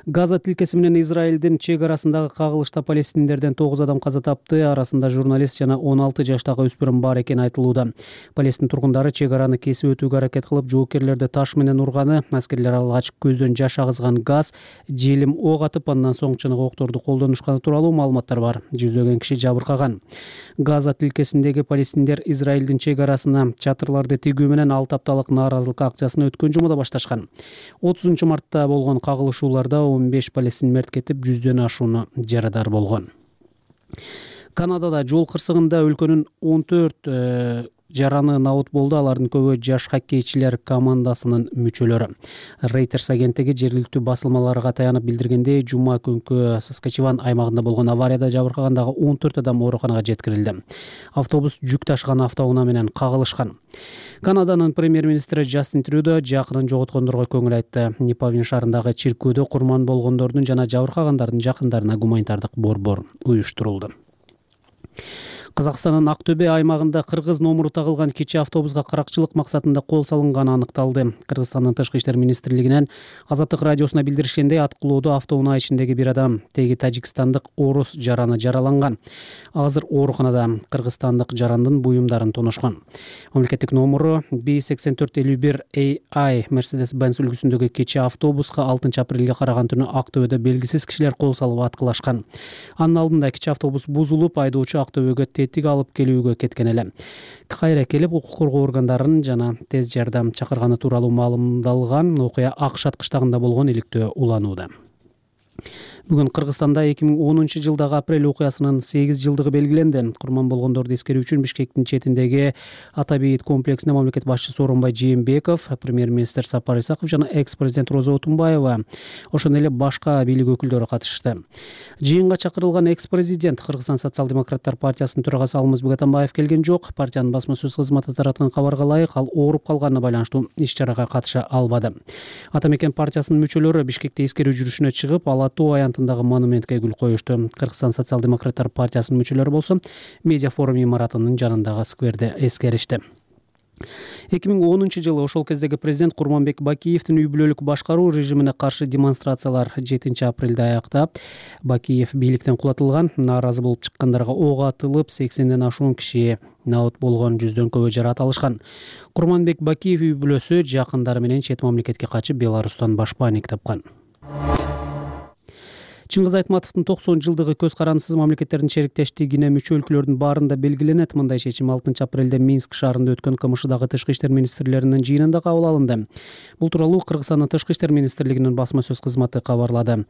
Газа тилкеси менен Израилдин чек арасындагы кагылышта палестиндерден 9 адам каза тапты. Арасында журналист жана 16 жаштагы өспүрүм бар экени айтылууда. Палестин тургундары чек араны кесип өтүүгө аракет кылып, жоокерлерди таш менен урганы, аскерлер алгач көздөн жаш агызган газ, желим ок атып, андан соң чыныгы окторду колдонушканы тууралуу маалыматтар бар. Жүздөгөн киши жабыркаган. Газа тилкесиндеги палестиндер Израилдин чек арасына чатырларды тигүү менен 6 апталык нааразылык акциясын өткөн жумада башташкан. 30 мартта болгон кагылышууларда 15 палестин мерт кетип, 100дөн ашууну жарадар болгон. Канадада жол кырсыгында өлкөнүн 14 жараны набут болду. Алардын көбү жаш хоккейчилер командасынын мүчөлөрү. Reuters агенттиги жергиликтүү басылмаларга таянып билдиргендей, жума күнкү Саскачеван аймагында болгон аварияда жабыркагандагы 14 адам ооруканага жеткирилди. Автобус жүк ташыган автоунаа менен кагылышкан. Канаданын премьер-министри Джастин Трюдо жакынын жоготкондорго көңүл айтты. Непавин шаарындагы чиркөөдө курман болгондордун жана жабыркагандардын жакындарына гуманитардык борбор уюштурулду. Казакстандын Актөбе аймагында кыргыз номуру тагылган кичи автобуска каракчылык максатында кол салынганы аныкталды. Кыргызстандын Тышкы иштер министрлигинен Азаттык радиосуна билдиришкендей, аткылоодо автоунаа ичиндеги бир адам, теги тажикстандык орус жараны жараланган. Азыр ооруканада. Кыргызстандык жарандын буюмдарын тонушкан. Мамлекеттик номуру B8451AI Mercedes-Benz үлгүсүндөгү кичи автобуска 6 апрелге караган түнү Актөбөдө белгисиз кишилер кол салып аткылашкан. Анын алдында кичи автобус бузулуп, айдоочу Актөбөгө тетик алып келүүгө кеткен эле. Кайра келип, укук коргоо органдарын жана тез жардам чакырганы тууралуу маалымдалган. Окуя Акшат кыштагында болгон иликтөө уланууда. Бүгүн Кыргызстанда 2010-жылдагы апрель окуясынын 8 жылдыгы белгиленди. Курман болгондорду эскерүү үчүн Бишкектин четиндеги Ата бейит комплексине мамлекет башчысы Сооронбай Жээнбеков, премьер-министр Сапар Исаков жана экс-президент Роза Отунбаева, ошондой эле башка бийлик өкүлдөрү катышты. Жыйынга чакырылган экс-президент Кыргызстан социал-демократтар партиясынын төрагасы Алмазбек Атамбаев келген жок. Партиянын басма сөз кызматы тараткан кабарга ылайык, ал ооруп калганына байланыштуу иш-чарага катыша албады. Ата мекен партиясынын мүчөлөрү Бишкекте эскерүү жүрүшүнө чыгып, Ала Тоо аянтындагы монументке гүл коюшту. Кыргызстан социал-демократтар партиясынын мүчөлөрү болсо медиа форум имаратынын жанындагы скверде эскеришти. 2010-жылы ошол кездеги президент Курманбек Бакиевдин үй бүлөлүк башкаруу режимине каршы демонстрациялар 7 апрелде аяктап, Бакиев бийликтен кулатылган, нааразы болуп чыккандарга ок атылып, 80ден ашуун киши наут болгон, 100дөн көбү жараат алышкан. Курманбек Бакиев үй бүлөсү жакындары менен чет мамлекетке качып, Беларустан башпаанник тапкан. Чыңгыз Айтматовдун 90-жылдыгы көз карандысыз мамлекеттердин шериктештигине мүчө өлкөлөрдүн баарында белгиленет. Мындай чечим 6 апрелде Минск шаарында өткөн КМШдагы тышкы иштер министрлеринин жыйынында кабыл алынды. Бул тууралуу Кыргызстандын тышкы иштер министрлигинин басма сөз кызматы кабарлады.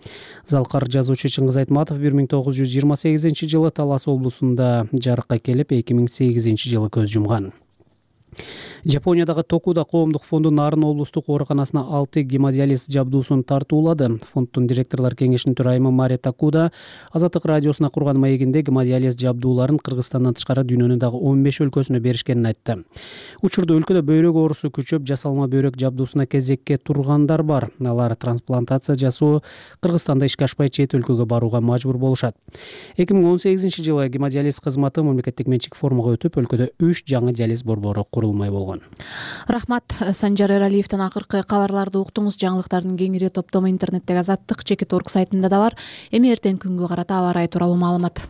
Залкар жазуучу Чыңгыз Айтматов 1928-жылы Талас облусунда жарыкка келип, 2008 жылы көз жумган. Жапониядагы Токуда коомдук фонду Нарын облустук ооруканасына 6 гемодиализ жабдуусун тартуулады. Фонддун директорлор кеңешинин төрайымы Мария Такуда Азаттык радиосуна курган маегинде гемодиализ жабдууларын Кыргызстандан тышкары дүйнөнүн дагы 15 өлкөсүнө беришкенин айтты. Учурда өлкөдө бөйрөк оорусу күчөп, жасалма бөйрөк жабдуусуна кезекке тургандар бар. Алар трансплантация жасоо, Кыргызстанда ишке ашпай чет өлкөгө барууга мажбур болушат. 2018-жылы гемодиализ кызматы мамлекеттик менчик формага өтүп, өлкөдө 3 жаңы диализ борбору курулмай болгон. Рахмат. Санжар Эралиевдин акыркы кабарларды уктуңуз. Жаңылыктардын кеңири топтому интернеттеги Азаттык.org сайтында да бар. Эми эртең күнгө карата аба ырайы тууралуу маалымат.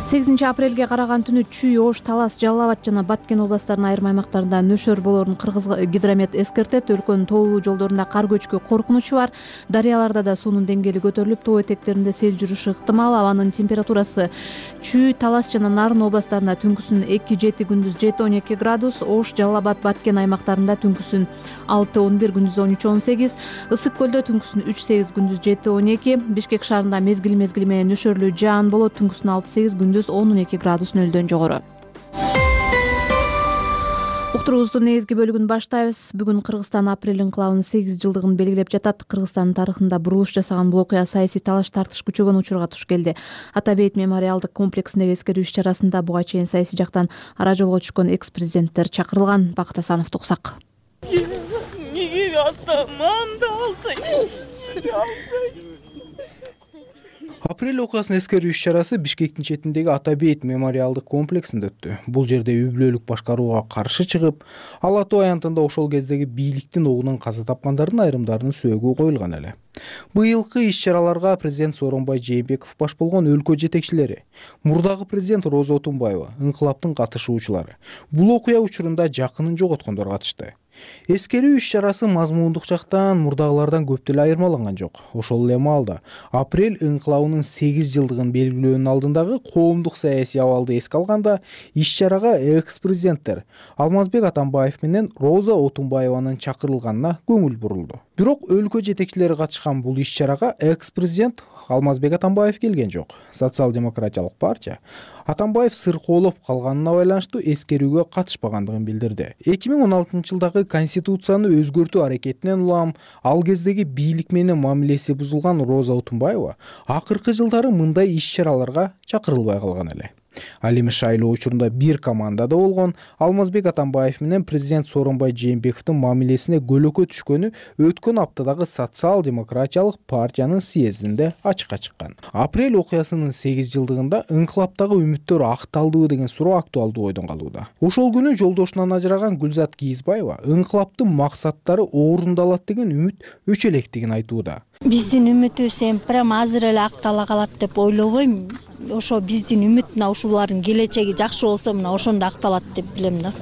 8 апрелге караган түнү Чүй, Ош, Талас, Жалал Абад жана Баткен областарынын айрым аймактарында нөшөр болоорун Кыргыз гидромет эскертет. Өлкөнүн тоолуу жолдорунда кар көчкү коркунучу бар. Дарыяларда да суунун деңгээли көтөрүлүп, тоо этектеринде сел жүрүшү ыктымал. Абанын температурасы Чүй, Талас жана Нарын областарында түнкүсүн 2-7, күндүз 7-12 градус, Ош, Жалал Абад, Баткен аймактарында түнкүсүн 6-11, күндүз 13-18, Ысык көлдө түнкүсүн 3-8, күндүз 7-12, Бишкек шаарында мезгил менен нөшөрлүү жаан болот, түнкүсүн 6-8, күндүз 12 градус нөлдөн жогору. Уктуруубуздун негизги бөлүгүн баштайбыз. Бүгүн Кыргызстан апрель инкылабынын 8 жылдыгын белгилеп жатат. Кыргызстандын тарыхында бурулуш жасаган бул окуя саясий талаш тартыш күчөгөн учурга туш келди. Ата бейит мемориалдык комплексиндеги эскерүү иш-чарасында буга чейин саясий жактан ара жолго түшкөн экс-президенттер чакырылган. Бакыт Асановду уксак. Апрель окуясын эскерүү иш-чарасы Бишкектин четиндеги Ата бейит мемориалдык комплексинде өттү. Бул жерде үй бүлөлүк башкарууга каршы чыгып, Ала Тоо аянтында ошол кездеги бийликтин огунан каза тапкандардын айрымдарынын сөөгү коюлган эле. Быйылкы иш-чараларга президент Сооронбай Жээнбеков баш болгон өлкө жетекчилери, мурдагы президент Роза Отунбаева, инкылаптын катышуучулары, бул окуя учурунда жакынын жоготкондор катышты. Эскерүү иш-чарасы мазмундук жактан мурдагылардан көп деле айырмаланган жок. Ошол эле маалда апрель инкылабынын 8 жылдыгын белгилөөнүн алдындагы коомдук саясий абалды эске алганда, иш-чарага экс-президенттер Алмазбек Атамбаев менен Роза Отунбаеванын чакырылганына көңүл бурулду. Бирок өлкө жетекчилери катышкан бул иш-чарага экс-президент Алмазбек Атамбаев келген жок. Социал-демократиялык партия Атамбаев сыркоолоп калганына байланыштуу эскерүүгө катышпагандыгын билдирди. 2016-жылдагы конституцияны өзгөртүү аракетинен улам ал кездеги бийлик менен мамилеси бузулган Роза Отунбаева акыркы жылдары мындай иш-чараларга чакырылбай калган эле. Ал эми шайлоо учурунда бир командада болгон Алмазбек Атамбаев менен президент Сооронбай Жээнбековдун мамилесине көлөкө түшкөнү өткөн аптадагы социал-демократиялык партиянын съездинде ачыкка чыккан. Апрель окуясынын 8 жылдыгында инкылаптагы үмүттөр акталдыбы деген суроо актуалдуу ойдон калууда. Ошол күнү жолдошунан ажыраган Гүлзат Кийизбаева инкылаптын максаттары орундалат деген үмүт өчө электигин айтууда. Биздин үмүтүбүз эми прямо азыр эле актала калат деп ойлобойм. Ошо биздин үмүт мына ушулардын келечеги жакшы болсо мына ошондо акталат деп билем да.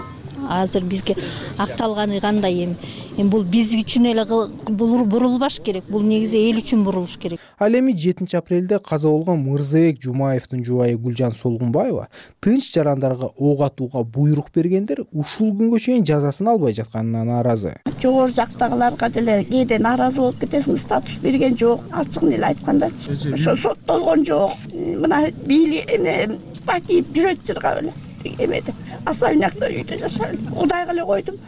азыр бизге акталганы кандай эми бул биз үчүн эле бурулбаш керек, бул негизи эл үчүн бурулуш керек. Ал эми 7 апрелде каза болгон Мырзабек Жумаевдин жубайы Гүлжан Солгунбаева тынч жарандарга ок атууга буйрук бергендер ушул күнгө чейин жазасын албай жатканына нааразы. Жогору жактагыларга деле кээде нааразы болуп кетесиң, статус берген жок, ачыгын эле айткандачы. Ошо соттолгон жок. Мына Бакиев жүрөт жыргап эле эмеде. Особнякта үйдө жашап Кудайга эле койдум.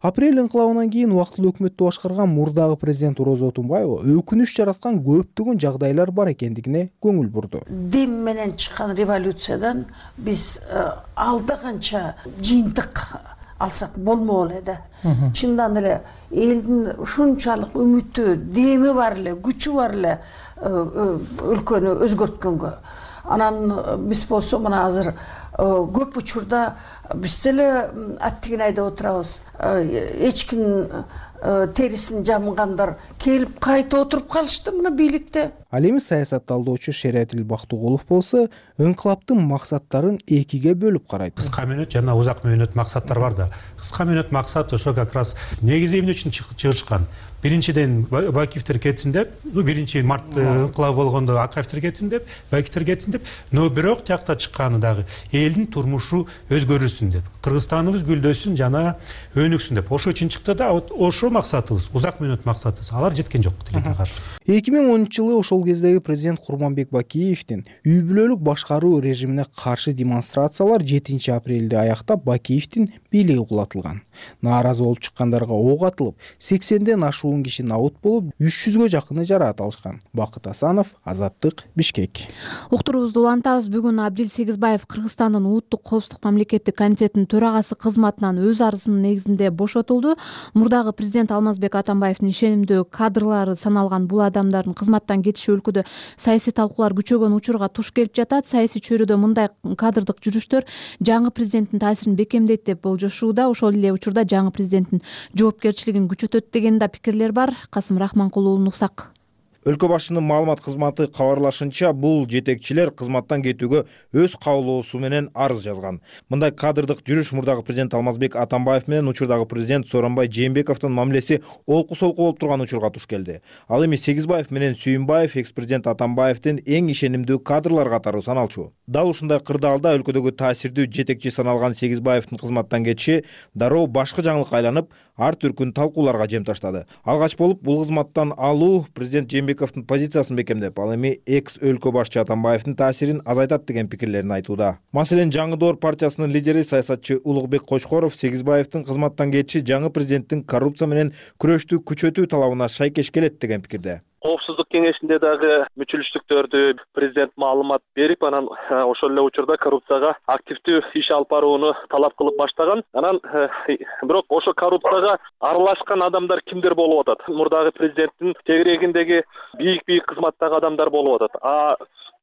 Апрель инкылабынан кийин убактылуу өкмөттү башкарган мурдагы президент Роза Отунбаева өкүнүч жараткан көптөгөн жагдайлар бар экендигине көңүл бурду. Дем менен чыккан революциядан биз алда канча жыйынтык алсак болмок эле да. Чындан эле элдин ушунчалык үмүтү, деми бар эле, күчү бар эле өлкөнү өзгөрткөнгө. Анан биз болсо мына азыр көп учурда биз деле аттигин айдап отурабыз. Эч ким терисин жамгандар келип кайта отуруп калышты мына бийликте. Ал эми саясатталдоочу Шериатил Бактыгулов болсо инкылаптын максаттарын экиге бөлүп карайт. Кыска мөөнөт жана узак мөөнөт максаттар бар да. Кыска мөөнөт максат ошо как раз негизи эмне үчүн чыгышкан. Биринчиден Бакиевтер кетсин деп, 1-март инкылабы болгондо Акаевтер кетсин деп, Бакиевтер кетсин деп, но бирок тиякта чыкканы дагы элдин турмушу өзгөрүлсүн деп, Кыргызстаныбыз гүлдөсүн жана өнүксүн деп. Ошо үчүн чыкты да, ошо максатыбыз, узак мөөнөт максатыбыз. Алар жеткен жок тилекке каршы. 2010-жылы ошол кездеги президент Курманбек Бакиевдин үй бүлөлүк башкаруу режимине каршы демонстрациялар 7 апрелде аяктап Бакиевдин бийлиги кулатылган. Нааразы болуп чыккандарга ок атылып, 80ден ашуун киши набут болуп, 300гө жакыны жараат алышкан. Бакыт Асанов, Азаттык, Бишкек. Уктуруубузду улантабыз. Бүгүн Абдил Сегизбаев Кыргызстандын Улуттук коопсуздук мамлекеттик комитетинин төрагасы кызматынан өз арызынын негизинде бошотулду. Мурдагы президент Алмазбек Атамбаевдин ишенимдүү кадрлары саналган бул адамдардын кызматтан кетиши өлкөдө саясий талкуулар күчөгөн учурга туш келип жатат. Саясий чөйрөдө мындай кадрдык жүрүштөр жаңы президенттин таасирин бекемдейт деп болжошууда. Ошол эле учурда жаңы президенттин жоопкерчилигин күчөтөт деген да пикирлер бар. Касым Рахманкулуулун уксак. Өлкө башчынын маалымат кызматы кабарлашынча, бул жетекчилер кызматтан кетүүгө өз каалоосу менен арыз жазган. Мындай кадрдык жүрүш мурдагы президент Алмазбек Атамбаев менен учурдагы президент Сооронбай Жээнбековдун мамилеси олку-солку болуп турган учурга туш келди. Ал эми Сегизбаев менен Сүйүнбаев экс-президент Атамбаевдин эң ишенимдүү кадрлар катары саналчу. Дал ушундай кырдаалда өлкөдөгү таасирдүү жетекчи саналган Сегизбаевдин кызматтан кетиши дароо башкы жаңылыкка айланып, ар түркүн талкууларга жем таштады. Алгач болуп бул кызматтан алуу президент Жээнбековдун позициясын бекемдеп, ал эми экс өлкө башчы Атамбаевдин таасирин азайтат деген пикирлерин айтууда. Маселен, Жаңы Доор партиясынын лидери саясатчы Улукбек Кочкоров Сегизбаевдин кызматтан кетиши жаңы президенттин коррупция менен күрөштү күчөтүү талабына шайкеш келет деген пикирде. Коопсуздук кеңешинде дагы мүчүлүштүктөрдү президент маалымат берип, анан ошол эле учурда коррупцияга активдүү иш алып барууну талап кылып баштаган. Анан бирок ошо коррупцияга аралашкан адамдар кимдер болуп атат? Мурдагы президенттин тегерегиндеги бийик кызматтагы адамдар болуп атат.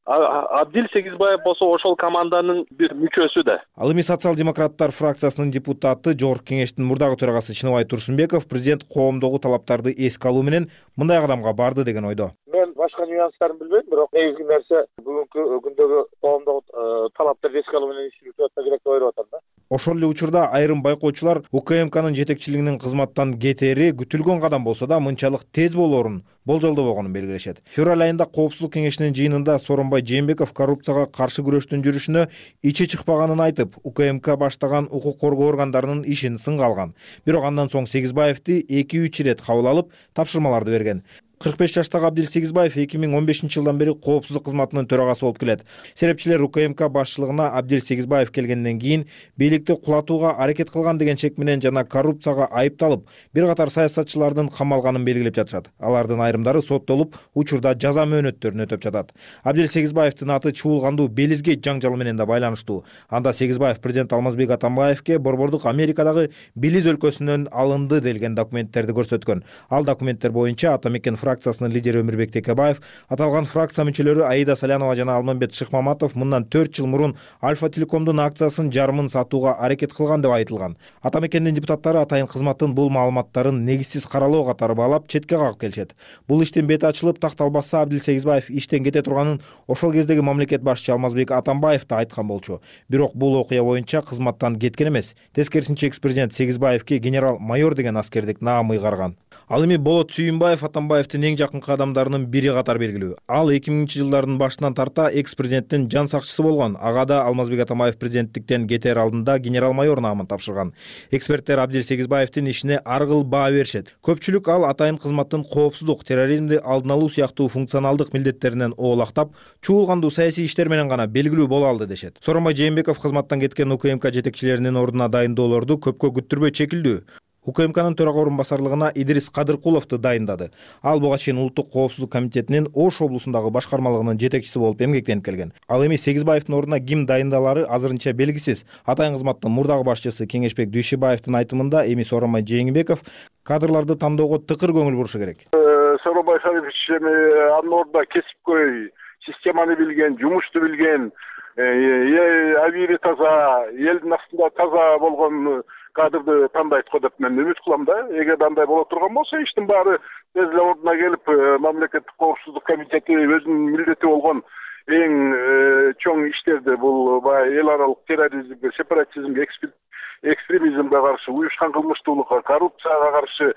Абдил Сегизбаев болсо ошол команданын бир мүчөсү да. Ал эми социал-демократтар фракциясынын депутаты, Жогорку кеңештин мурдагы төрагасы Чыныбай Турсунбеков президент коомдогу талаптарды эске алуу менен мындай кадамга барды деген ойдо. Мен башка нюанстарын билбейм, бирок негизги нерсе бүгүнкү күндөгү коомдогу талаптарды эске алуу менен иш жүргүзүп атса керек деп ойлоп атам да. Ошол эле учурда айрым байкоочулар УКМКнын жетекчилигинин кызматтан кетери күтүлгөн кадам болсо да мынчалык тез болоорун болжолдобогонун белгилешет. Февраль айында коопсуздук кеңешинин жыйынында Сооронбай Жээнбеков коррупцияга каршы күрөштүн жүрүшүнө ичи чыкпаганын айтып, УКМК баштаган укук коргоо органдарынын ишин сынга алган. Бирок андан соң Сегизбаевди 2-3 ирет кабыл алып, тапшырмаларды берген. 45 жаштагы Абдил Сегизбаев 2015-жылдан бери коопсуздук кызматынын төрагасы болуп келет. Серепчилер УКМК башчылыгына Абдил Сегизбаев келгенден кийин бийликти кулатууга аракет кылган деген шек менен жана коррупцияга айыпталып, бир катар саясатчылардын камалганын белгилеп жатышат. Алардын айрымдары соттолуп, учурда жаза мөөнөттөрүн өтөп жатат. Абдил Сегизбаевдин аты чуулгандуу Белизгейт жаңжалы менен да байланыштуу. Анда Сегизбаев президент Алмазбек Атамбаевке борбордук Америкадагы Белиз өлкөсүнөн алынды делген документтерди көрсөткөн. Ал документтер боюнча Атамекен фракциясынын лидери Өмүрбек Текебаев, аталган фракция мүчөлөрү Аида Салянова жана Алмамбет Шыкмаматов мындан 4 жыл мурун Альфа Телекомдун акциясын жарымын сатууга аракет кылган деп айтылган. Ата мекендин депутаттары атайын кызматтын бул маалыматтарын негизсиз каралоо катары баалап четке кагып келишет. Бул иштин бети ачылып, такталбаса Абдил Сегизбаев иштен кете турганын ошол кездеги мамлекет башчысы Алмазбек Атамбаев да айткан болчу. Бирок бул окуя боюнча кызматтан кеткен эмес. Тескерисинче экс-президент Сегизбаевке генерал-майор деген аскердик наам ыйгарган. Ал эми Болот Сүйүнбаев Атамбаевдин эң жакынкы адамдарынын бири катары белгилүү. Ал 2000-жылдардын башынан тарта экс-президенттин жан сакчысы болгон. Ага да Алмазбек Атамбаев президенттиктен кетер алдында генерал-майор наамын тапшырган. Эксперттер Абдил Сегизбаевдин ишине ар кыл баа беришет. Көпчүлүк ал атайын кызматтын коопсуздук, терроризмди алдын алуу сыяктуу функционалдык милдеттеринен оолактап, чуулгандуу саясий иштер менен гана белгилүү боло алды дешет. Сооронбай Жээнбеков кызматтан кеткен УКМК жетекчилеринин ордуна дайындоолорду көпкө күттүрбөй чекилдүү. УКМКнын төрага орун басарлыгына Идрис Кадыркуловду дайындады. Ал буга чейин Улуттук коопсуздук комитетинин Ош облусундагы башкармалыгынын жетекчиси болуп эмгектенип келген. Ал эми Сегизбаевдин ордуна ким дайындалары азырынча белгисиз. Атайын кызматтын мурдагы башчысы Кеңешбек Дүйшүбаевдин айтымында эми Сооронбай Жээнбеков кадрларды тандоого тыкыр көңүл бурушу керек. Сооронбай Шарипович анын ордуна кесипкөй, системаны билген, жумушту билген, авири таза, элдин астында таза болгон кадрды тандайт го деп мен үмүт кылам да. Эгер андай боло турган болсо, иштин баары тез эле ордуна келип, мамлекеттик коопсуздук комитети өзүнүн милдети болгон эң чоң иштерди, бул баягы эл аралык терроризмге, сепаратизмге, экстремизмге каршы, уюшкан кылмыштуулукка, коррупцияга каршы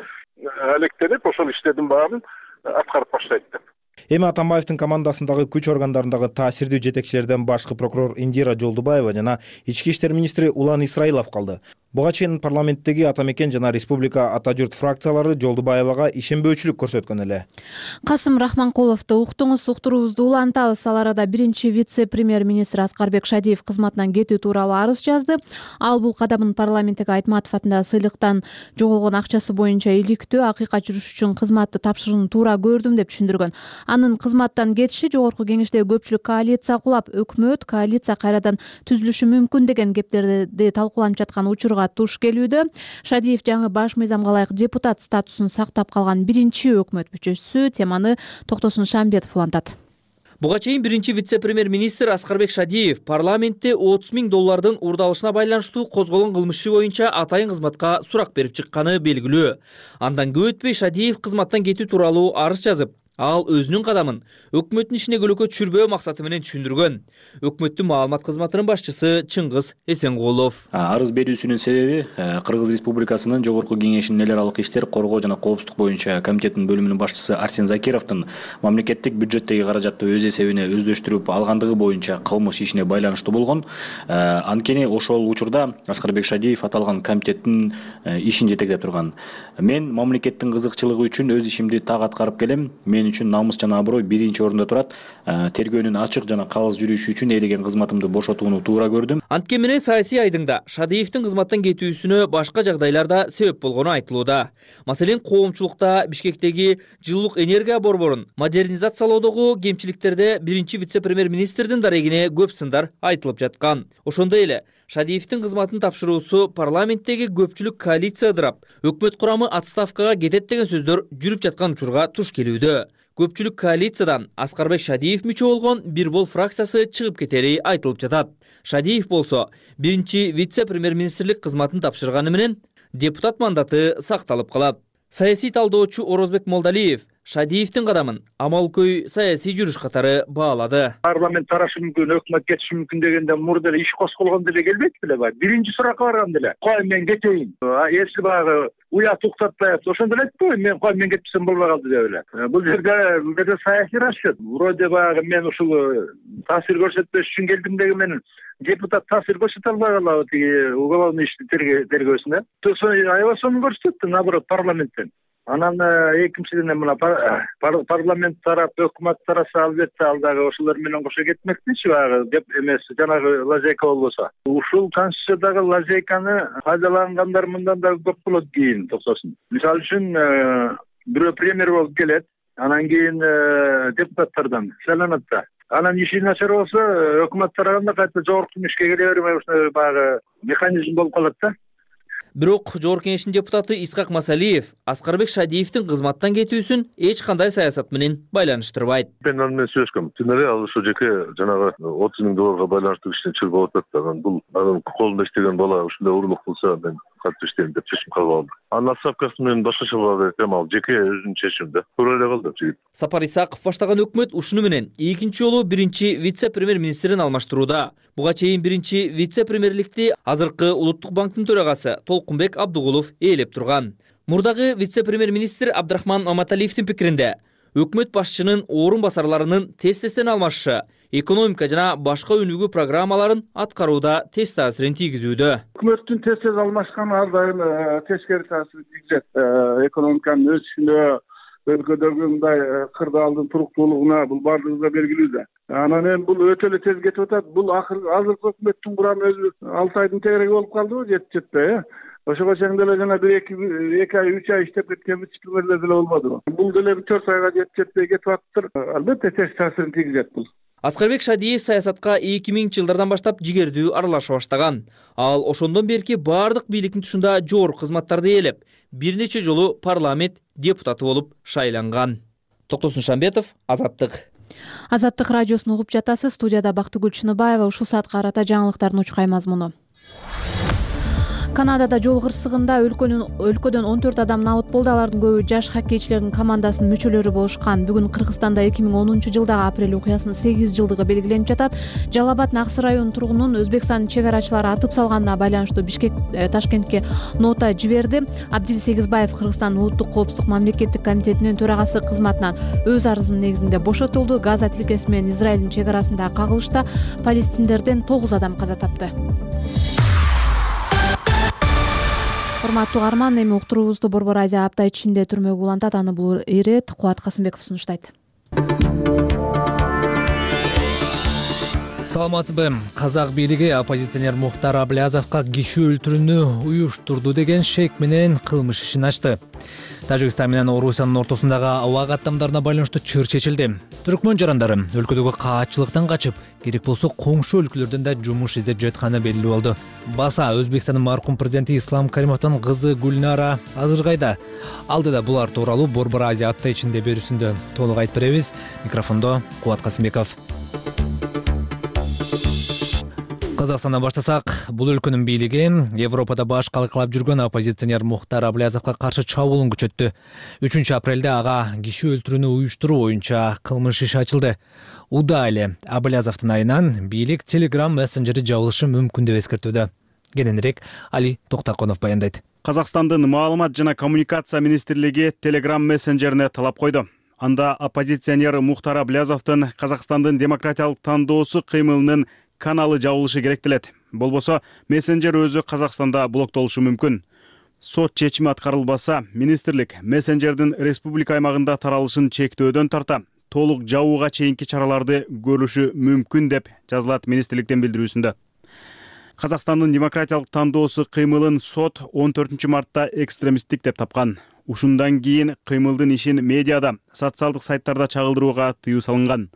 алектенип, ошол иштердин баарын аткарып баштайт деп. Эми Атамбаевдин командасындагы күч органдарындагы таасирдүү жетекчилерден башкы прокурор Индира Жолдубаева жана ички иштер министри Улан Исраилов калды. Буга чейин парламенттеги Ата мекен жана Республика Ата журт фракциялары Жолдубаевага ишенбөөчүлүк көрсөткөн эле. Касым Рахманкуловду уктуңуз, уктуруубузду улантабыз. Ал арада биринчи вице-премьер-министр Аскарбек Шадиев кызматынан кетүү тууралуу арыз жазды. Ал бул кадамын парламенттеги Айтматов атындагы сыйлыктан жоголгон акчасы боюнча иликтөө, акыйкат жүрүш үчүн кызматты тапшырууну туура көрдүм деп түшүндүргөн. Анын кызматтан кетиши жогорку кеңештеги көпчүлүк коалиция кулап, өкмөт коалиция кайрадан түзүлүшү мүмкүн деген кептерди талкууланып жаткан учурга туш келүүдө. Шадиев жаңы баш мыйзамга ылайык депутат статусун сактап калган биринчи өкмөт мүчөсү. Теманы Токтосун Шамбетов улантат. Буга чейин биринчи вице-премьер-министр Аскарбек Шадиев парламентте $30,000 уурдалышына байланыштуу козголгон кылмыш иши боюнча атайын кызматка сурак берип чыкканы белгилүү. Андан көп өтпөй Шадиев кызматтан кетүү тууралуу арыз жазып, ал өзүнүн кадамын өкмөттүн ишине көлөкө түшүрбөө максаты менен түшүндүргөн. Өкмөттүн маалымат кызматынын башчысы Чыңгыз Эсенгулов. Арыз берүүсүнүн себеби Кыргыз Республикасынын жогорку кеңешинин эл аралык иштер, коргоо жана коопсуздук боюнча комитетинин бөлүмүнүн башчысы Арсен Закировдун мамлекеттик бюджеттеги каражатты өз эсебине өздөштүрүп алгандыгы боюнча кылмыш ишине байланыштуу болгон. Анткени ошол учурда Аскарбек Шадиев аталган комитеттин ишин жетектеп турган. Мен мамлекеттин кызыкчылыгы үчүн өз ишимди так аткарып келем. Мен үчүн намыс жана аброй биринчи орунда турат. Тергөөнүн ачык жана калыс жүрүшү үчүн ээлеген кызматымды бошотууну туура көрдүм. Анткени менен саясий айдыңда Шадиевдин кызматтан кетүүсүнө башка жагдайларда себеп болгону айтылууда. Маселен, коомчулукта Бишкектеги жылуулук энергия борборун модернизациялоодогу кемчиликтерде биринчи вице-премьер-министрдин дарегине көп сындар айтылып жаткан. Ошондой эле Шадиевдин кызматын тапшыруусу парламенттеги көпчүлүк коалиция ыдырап, өкмөт курамы отставкага кетет деген сөздөр жүрүп жаткан учурга туш келүүдө. Көпчүлүк коалициядан Аскарбек Шадиев мүчө болгон Бир бол фракциясы чыгып кетери айтылып жатат. Шадиев болсо биринчи вице-премьер-министрлик кызматын тапшырганы менен депутат мандаты сакталып калат. Саясий талдоочу Орозбек Молдалиев Шадиевдин кадамын амалкөй саясий жүрүш катары баалады. Парламент тарашы мүмкүн, өкмөт кетиши мүмкүн дегенде мурда эле иш козголгон деле келбейт беле баа. Биринчи суракка барган деле. Кой мен кетейин. Эси багы уят уктатпай атса, ошондо эле айтпайбы, мен кой мен кетпесем болбой калды деп эле. Бул жерде саясий расчет. Вроде багы мен ушул таасир көрсөтпөш үчүн келдим деген менен депутат таасир көрсөтө албай калабы тиги уголовный ишти тергөөсүнө. Аябай сонун көрсөттү, наоборот, парламенттен. Анан экинчиден мына парламент тарап, өкмөт тараса, албетте ал дагы ошолор менен кошо кетмекчи багы деп эмес, жанагы лазейка болбосо. Ушул конституциядагы лазейканы пайдалангандар мындан да көп болот кийин, токсосун. Мисалы үчүн бирөө премьер болуп келет, анан кийин депутаттардан сайланат да. Анан иши начар болсо, өкмөт тарабында кайта жогорку ишке келе бермей, баягы механизм болуп калат да. Бирок Жогорку Кеңештин депутаты Исхак Масалиев Аскарбек Шадиевдин кызматтан кетүүсүн эч кандай саясат менен байланыштырбайт. Мен аны менен сүйлөшкөм. Түн эле ал ошо жеке жанагы 30 000 долларга байланыштуу кишини чырбап атат. Бул анын колунда иштеген бала ушундай урурлук кылса мен кантип иштейм деп чечим кабыл алдым. Анын отставкасы менен башкача болот экен, ал жеке өзүнүн чечими да. Туура эле кылды жигит. Сапар Исаков баштаган өкмөт ушуну менен экинчи жолу биринчи вице-премьер-министрин алмаштырууда. Буга чейин биринчи вице-премьерликти азыркы Улуттук банктын төрагасы Толкунбек Абдыгулов ээлеп турган. Мурдагы вице-премьер-министр Абдрахман Маматалиевдин пикиринде өкмөт башчынын орун басарларынын тез-тезден алмашышы экономика жана башка өнүгүү программаларын аткарууда тез таасирин тийгизүүдө. Өкмөттүн тез алмашканы ар дайым тескери таасир тийгизет. Экономиканын өсүшүнө, өлкөдөгү мындай кырдаалдын туруктуулугуна бул бардыгыбызга белгилүү да. Анан эми бул өтө эле тез кетип атат. Бул азыркы өкмөттүн курамы өзү 6 айдын тегереги болуп калдыбы, жетпей. Ошого чейин деле жана 1-2 ай 3 ай иштеп кеткен вице-премьерлер деле болбодубу. Бул деле 4 айга жетпей кетип атыптыр. Албетте тез таасирин тийгизет бул. Аскарбек Шадиев саясатка 2000-жылдардан баштап жигердүү аралаша баштаган. Ал ошондон берки бардык бийликтин тушунда жогорку кызматтарды ээлеп, бир нече жолу парламент депутаты болуп шайланган. Токтосун Шамбетов, Азаттык. Азаттык радиосун угуп жатасыз. Студияда Бактыгүл Чыныбаева. Ушул саатка карата жаңылыктардын учкай мазмуну. Канадада жол кырсыгында өлкөдөн 14 адам набыт болду. Алардын көбү жаш хоккейчилердин командасынын мүчөлөрү болушкан. Бүгүн Кыргызстанда 2010-жылдагы апрель окуясынын 8 жылдыгы белгиленип жатат. Жалал Абад Аксы районунун тургунун Өзбекстандын чегарачылары атып салганына байланыштуу Бишкек Ташкентке нота жиберди. Абдил Сегизбаев Кыргызстандын улуттук коопсуздук мамлекеттик комитетинин төрагасы кызматынан өз арызынын негизинде бошотулду. Газа тилкеси менен Израилдин чегарасындагы кагылышта палестиндерден 9 адам каза тапты. Урматтуу угарман, эми уктуруубузду Борбор Азия апта ичинде түрмөгө улантат. Аны бул ирет Кубат Касымбеков сунуштайт. Саламатсызбы? Казак бийлиги оппозиционер Мухтар Аблязовго киши өлтүрүүнү уюштурду деген шек менен кылмыш ишин ачты. Тажикстан менен Орусиянын ортосундагы аба каттамдарына байланыштуу чыр чечилди. Түркмөн жарандары өлкөдөгү каатчылыктан качып, керек болсо коңшу өлкөлөрдөн да жумуш издеп жатканы белгилүү болду. Баса Өзбекстандын маркум президенти Ислам Каримовдун кызы Гүлнара азыр кайда? Алдыда булар тууралуу Борбор Азия апта ичинде берүүсүндө толук айтып беребиз. Микрофондо Кубат Касымбеков. Казакстандан баштасак, бул өлкөнүн бийлиги Европада баш калкалап жүргөн оппозиционер Мухтар Аблязовго каршы чабуулун күчөттү. 3-апрелде ага киши өлтүрүүнү уюштуруу боюнча кылмыш иши ачылды. Уда эле Аблязовдун айынан бийлик Telegram мессенджери жабылышы мүмкүн деп эскертүүдө. Кененирээк Али Токтаконов баяндайт. Казакстандын маалымат жана коммуникация министрлиги Telegram мессенджерине талап койду. Анда оппозиционер Мухтар Аблязовдун Казакстандын демократиялык тандоосу кыймылынын каналы жабылышы керектелет. Болбосо мессенджер өзү Казакстанда блоктолушу мүмкүн. Сот чечими аткарылбаса, министрлик мессенджердин республика аймагында таралышын чектөөдөн тарта толук жабууга чейинки чараларды көрүшү мүмкүн деп жазылат министрликтин билдирүүсүндө. Казакстандын демократиялык тандоосу кыймылын сот 14 мартта экстремисттик деп тапкан. Ушундан кийин кыймылдын ишин медиада, социалдык сайттарда чагылдырууга тыюу салынган.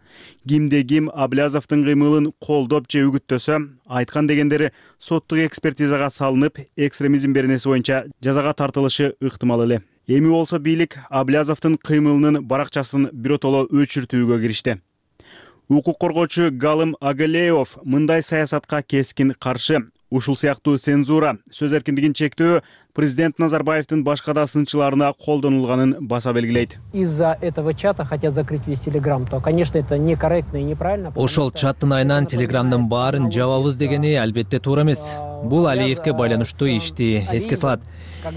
Кимде ким Аблязовдун кыймылын колдоп же үгүттөсө, айткан дегендери соттук экспертизага салынып, экстремизм беренеси боюнча жазага тартылышы ыктымал эле. Эми болсо бийлик Аблязовдун кыймылынын баракчасын биротоло өчүртүүгө киришти. Укук коргоочу Галым Агалеев мындай саясатка кескин каршы. Ушул сыяктуу цензура, сөз эркиндигин чектөө президент Назарбаевдин башка да сынчыларына колдонулганын баса белгилейт. Из-за этого чата хотят закрыть весь Telegram, то, конечно, это некорректно и неправильно. Ошол чаттын айынан Telegramдын баарын жабабыз дегени албетте туура эмес. Бул Алиевке байланыштуу ишти эске салат.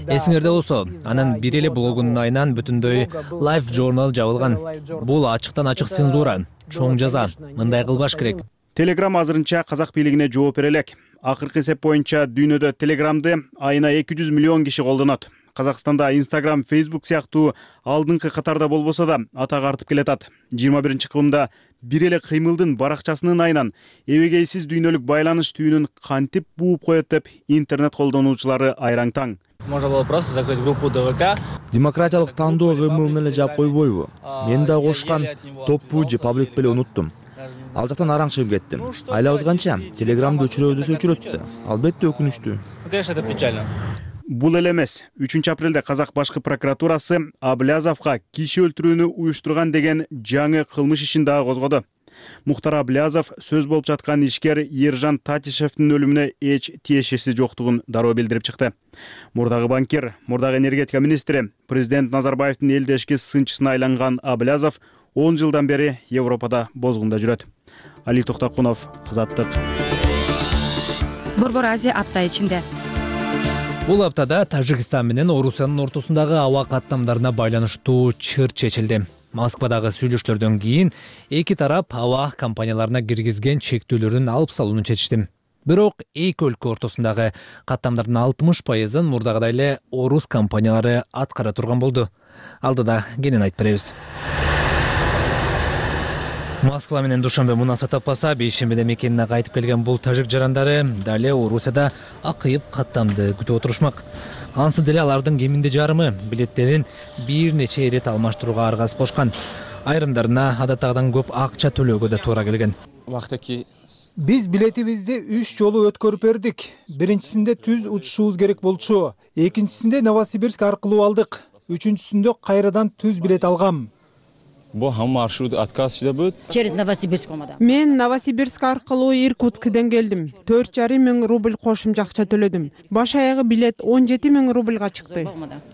Эсиңерде болсо, анын бир эле блогунун айынан бүтүндөй Live Journal жабылган. Бул ачыктан ачык цензура, чоң жаза. Мындай кылбаш керек. Telegram азырынча казак бийлигине жооп бере элек. Акыркы эсеп боюнча дүйнөдө Telegram'ды айына 200 миллион киши колдонот. Казакстанда Instagram, Facebook сыяктуу алдыңкы катарда болбосо да атак артып келатат. 21-кылымда бир эле кыймылдын баракчасынын айынан эбегейсиз дүйнөлүк байланыш түйүнүн кантип бууп коет деп интернет колдонуучулары айраң таң. Можно было просто закрыть группу ДВК. Демократиялык тандоо кыймылын эле жаап койбойбу? Мен да кошкан топпу же паблик беле унуттум. Ал жактан араң чыгып кеттим. Айлабыз канча? Телеграмды өчүрөбүз десе өчүрөт да. Албетте өкүнүчтүү. Конечно, это печально. Бул эле эмес. 3 апрелде Казак башкы прокуратурасы Аблязовго киши өлтүрүүнү уюштурган деген жаңы кылмыш ишин дагы козгоду. Мухтар Аблязов сөз болуп жаткан ишкер Ержан Татишевдин өлүмүнө эч тиешеси жоктугун дароо билдирип чыкты. Мурдагы банкир, мурдагы энергетика министри, президент Назарбаевдин элдешки сынчысына айланган Аблязов 10 жылдан бери Европада бозгунда жүрөт. Али Токтокунов, Азаттык. Борбор Азия апта ичинде. Бул аптада Тажикстан менен Орусиянын ортосундагы аба каттамдарына байланыштуу чыр чечилди. Москвадагы сүйлөшүүлөрдөн кийин эки тарап аба компанияларына киргизген чектөөлөрүн алып салууну чечишти. Бирок эки өлкө ортосундагы каттамдардын 60%-ын мурдагыдай эле орус компаниялары аткара турган болду. Алдыда кенен айтып беребиз. Москва менен Душанбе мунаса таппаса, бейшембиде мекенине кайтып келген бул тажик жарандары дале Орусияда акыйып каттамды күтүп отурушмак. Ансы деле алардын кеминде жарымы билеттерин бир нече ирет алмаштырууга аргасыз болушкан. Айрымдарына адаттагыдан көп акча төлөөгө да туура келген. Биз билетибизди 3 жолу өткөрүп бердик. Биринчисинде түз учушубуз керек болчу. Экинчисинде Новосибирск аркылуу алдык. Үчүнчүсүндө кайрадан түз билет алгам. Bu ham marşrut отказ будет. Через Новосибирск olmadan. Мен Новосибирск аркылуу Иркутскден келдим. 4,5 мың рубль кошумча акча төлөдүм. Баш аягы билет 17 000 рубльга чыкты.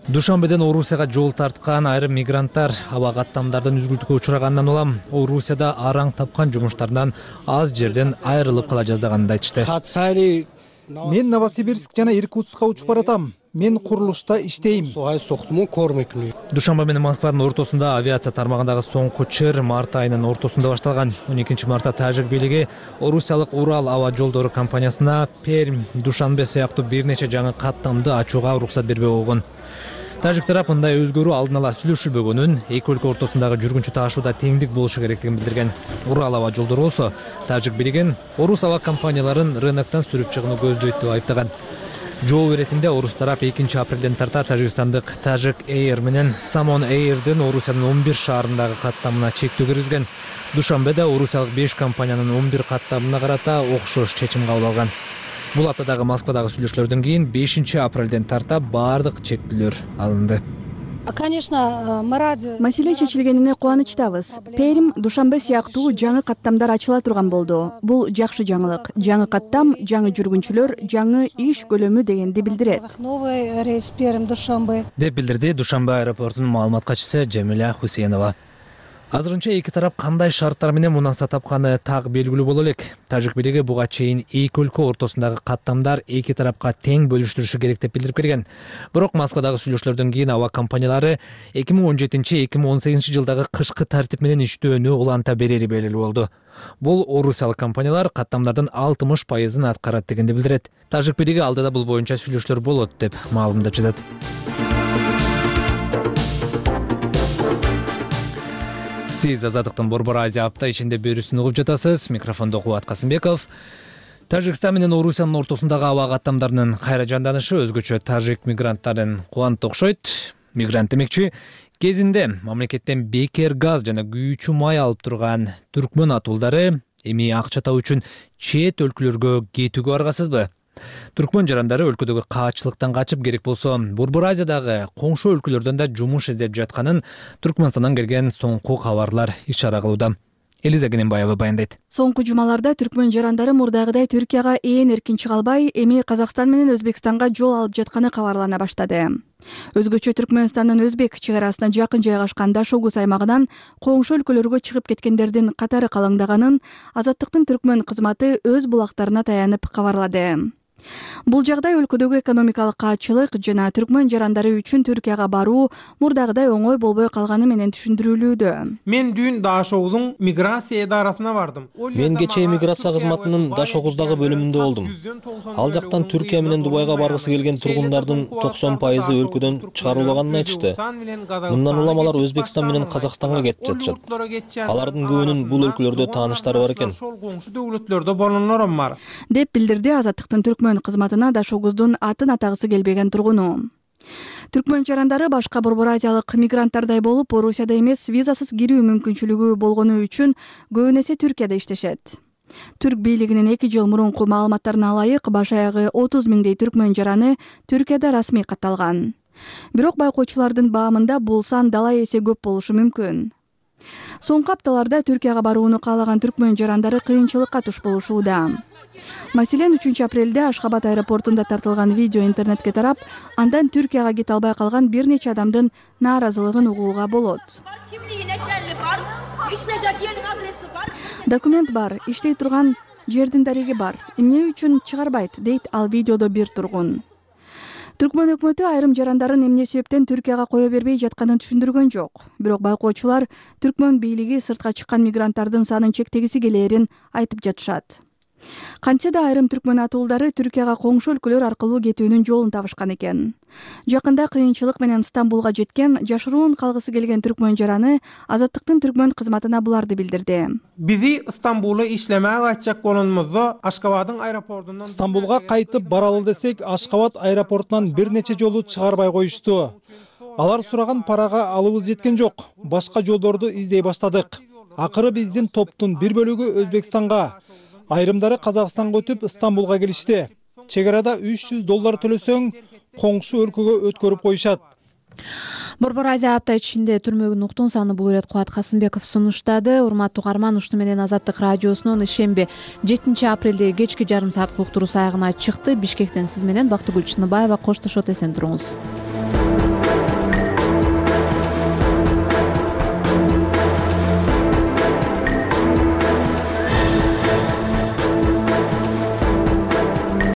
Душанбеден Орусияга жол тарткан айрым мигранттар аба каттамдардан үзгүлтүккө учурагандан улам Орусияда араң тапкан жумуштарынан аз жерден айрылып кала жаздаганын айтышты. Мен Новосибирск жана Иркутскка учуп баратам. Мен курулушта иштейм. Душанбе менен Москванын ортосунда авиация тармагындагы соңку чыр март айынын ортосунда башталган. 12 мартта тажик бийлиги Орусиялык Урал аба жолдору компаниясына Пермь, Душанбе сыяктуу бир нече жаңы каттамды ачууга уруксат бербей койгон. Тажик тарап мындай өзгөрүү алдын ала сүйлөшүлбөгөнүн, эки өлкө ортосундагы жүргүнчү таашууда теңдик болушу керектигин билдирген. Урал аба жолдору болсо тажик бийлигин орус аба компанияларын рыноктон сүрүп чыгууну көздөйт деп айыптаган. Жол иретинде орус тарап 2 апрелден тарта Тажикстандык Tajik Air менен Samon Air'дин Орусиянын 11 шаарындагы каттамына чектөө киргизген. Душанбеде орусиялык 5 компаниянын 11 каттамына карата окшош чечим кабыл алган. Бул аптадагы Москвадагы сүйлөшүүлөрдөн кийин 5 апрелден тарта бардык чектөөлөр алынды. Конечно, мы рады. Маселе чечилгенине кубанычтабыз. Пермь, Душанбе сыяктуу жаңы каттамдар ачыла турган болду. Бул жакшы жаңылык. Жаңы каттам, жаңы жүргүнчүлөр, жаңы иш көлөмү дегенди билдирет. Новый рейс Пермь, Душанбе. Деп билдирди Душанбе аэропортунун маалымат катчысы Жамиля Хусейнова. Азырынча эки тарап кандай шарттар менен мунаса тапканы так белгилүү боло элек. Тажик бийлиги буга чейин эки өлкө ортосундагы каттамдар эки тарапка тең бөлүштүрүшү керек деп билдирип келген. Бирок Москвадагы сүйлөшүүлөрдөн кийин аба компаниялары 2017-2018 жылдагы кышкы тартип менен иштөөнү уланта берери белгилүү болду. Бул орусиялык компаниялар каттамдардын 60%-ын аткарат дегенди билдирет. Тажик бийлиги алдыда бул боюнча сүйлөшүүлөр болот деп маалымдап жатат. Сиз Азаттыктын Борбор Азия апта ичинде берүүсүн угуп жатасыз. Микрофондо Кубат Касымбеков. Тажикстан менен Орусиянын ортосундагы аба каттамдарынын кайра жанданышы өзгөчө тажик мигранттарын кубантты окшойт. Мигрант демекчи кезинде мамлекеттен бекер газ жана күйүүчү май алып турган түркмөн атуулдары эми акча табуу үчүн чет өлкөлөргө кетүүгө аргасызбы? Түркмөн жарандары өлкөдөгү каачылыктан качып керек болсо, Борбор Азиядагы коңшу өлкөлөрдөн да жумуш издеп жатканын Түркмөнстандан келген соңку кабарлар ишара кылууда. Элиза Гененбаева баяндайт. Соңку жумаларда түркмөн жарандары мурдагыдай Түркияга эркин чыга албай, эми Казакстан менен Өзбекстанга жол алып жатканы кабарлана баштады. Өзгөчө Түркмөнстандын Өзбек чек арасына жакын жайгашкан Дашогуз аймагынан коңшу өлкөлөргө чыгып кеткендердин катары калыңдаганын Азаттыктын түркмөн кызматы өз булактарына таянып кабарлады. Бул жагдай өлкөдөгү экономикалык каачылык жана түркмөн жарандары үчүн Түркияга баруу мурдагыдай оңой болбой калганы менен түшүндүрүлүүдө. Мен дүйүн Дашогуздун миграция идарасына бардым. Мен кечээ миграция кызматынын Дашогуздагы бөлүмүндө болдум. Ал жактан Түркия менен Дубайга баргысы келген тургундардын 90% өлкөдөн чыгарылганын айтышты. Мындан улам алар Өзбекстан менен Казакстанга кетип жатышат. Алардын көбүнүн бул өлкөлөрдө тааныштары бар экен. Деп билдирди Азаттыктын түркмөн кызматына Дашогуздун атын атагысы келбеген тургуну. Түркмөн жарандары башка борбор азиялык мигранттардай болуп, Орусияда эмес визасыз кирүү мүмкүнчүлүгү болгону үчүн көбүн эсе Түркияда иштешет. Түрк бийлигинин 2 жыл мурунку маалыматтарына ылайык баш аягы 30 миңдей түркмөн жараны Түркияда расмий катталган. Бирок байкоочулардын баамында бул сан дала эсе көп болушу мүмкүн. Соңку апталарда Түркияга барууну каалаган түркмөн жарандары кыйынчылыкка туш болушууда. Маселен, 3 апрелде Ашхабад аэропортунда тартылган видео интернетке тарап, андан Түркияга кете албай калган бир нече адамдын нааразылыгын угууга болот. Документ бар, иштей турган жердин дареги бар. Эмне үчүн чыгарбайт, дейт ал видеодо бир тургун. Түркмөн өкмөтү айрым жарандарын эмне себептен Түркияга кое бербей жатканын түшүндүргөн жок. Бирок байкоочулар түркмөн бийлиги сыртка чыккан мигранттардын санын чектегиси келээрин айтып жатышат. Канча да айрым түркмөн атуулдары Түркияга коңшу өлкөлөр аркылуу кетүүнүн жолун табышкан экен. Жакында кыйынчылык менен Стамбулга жеткен жашыруун калгысы келген түркмөн жараны Азаттыктын түркмөн кызматына буларды билдирди. Бизи Стамбулга иштемeye açacak bolunumuzda Ашхабаддын аэропортунан Стамбулга кайтып баралы десек, Ашхабад аэропортунан бир нече жолу чыгарбай коюшту. Алар сураган парага алыбыз жеткен жок. Башка жолдорду издей баштадык. Акыры биздин топтун бир бөлүгү Өзбекстанга, айрымдары Казакстанга өтүп Стамбулга келишти. Чек арада $300 төлөсөң, коңшу өлкөгө өткөрүп коюшат. Борбор Азия апта ичинде түрмөгүн уктун саны бул ирет Кубат Касымбеков сунуштады. Урматтуу угарман, ушуну менен Азаттык радиосунун ишемби 7 апрелде кечки жарым саат уктуруу аягына чыкты. Бишкектен сиз менен Бактыгүл Чыныбаева коштошот, эсен туруңуз.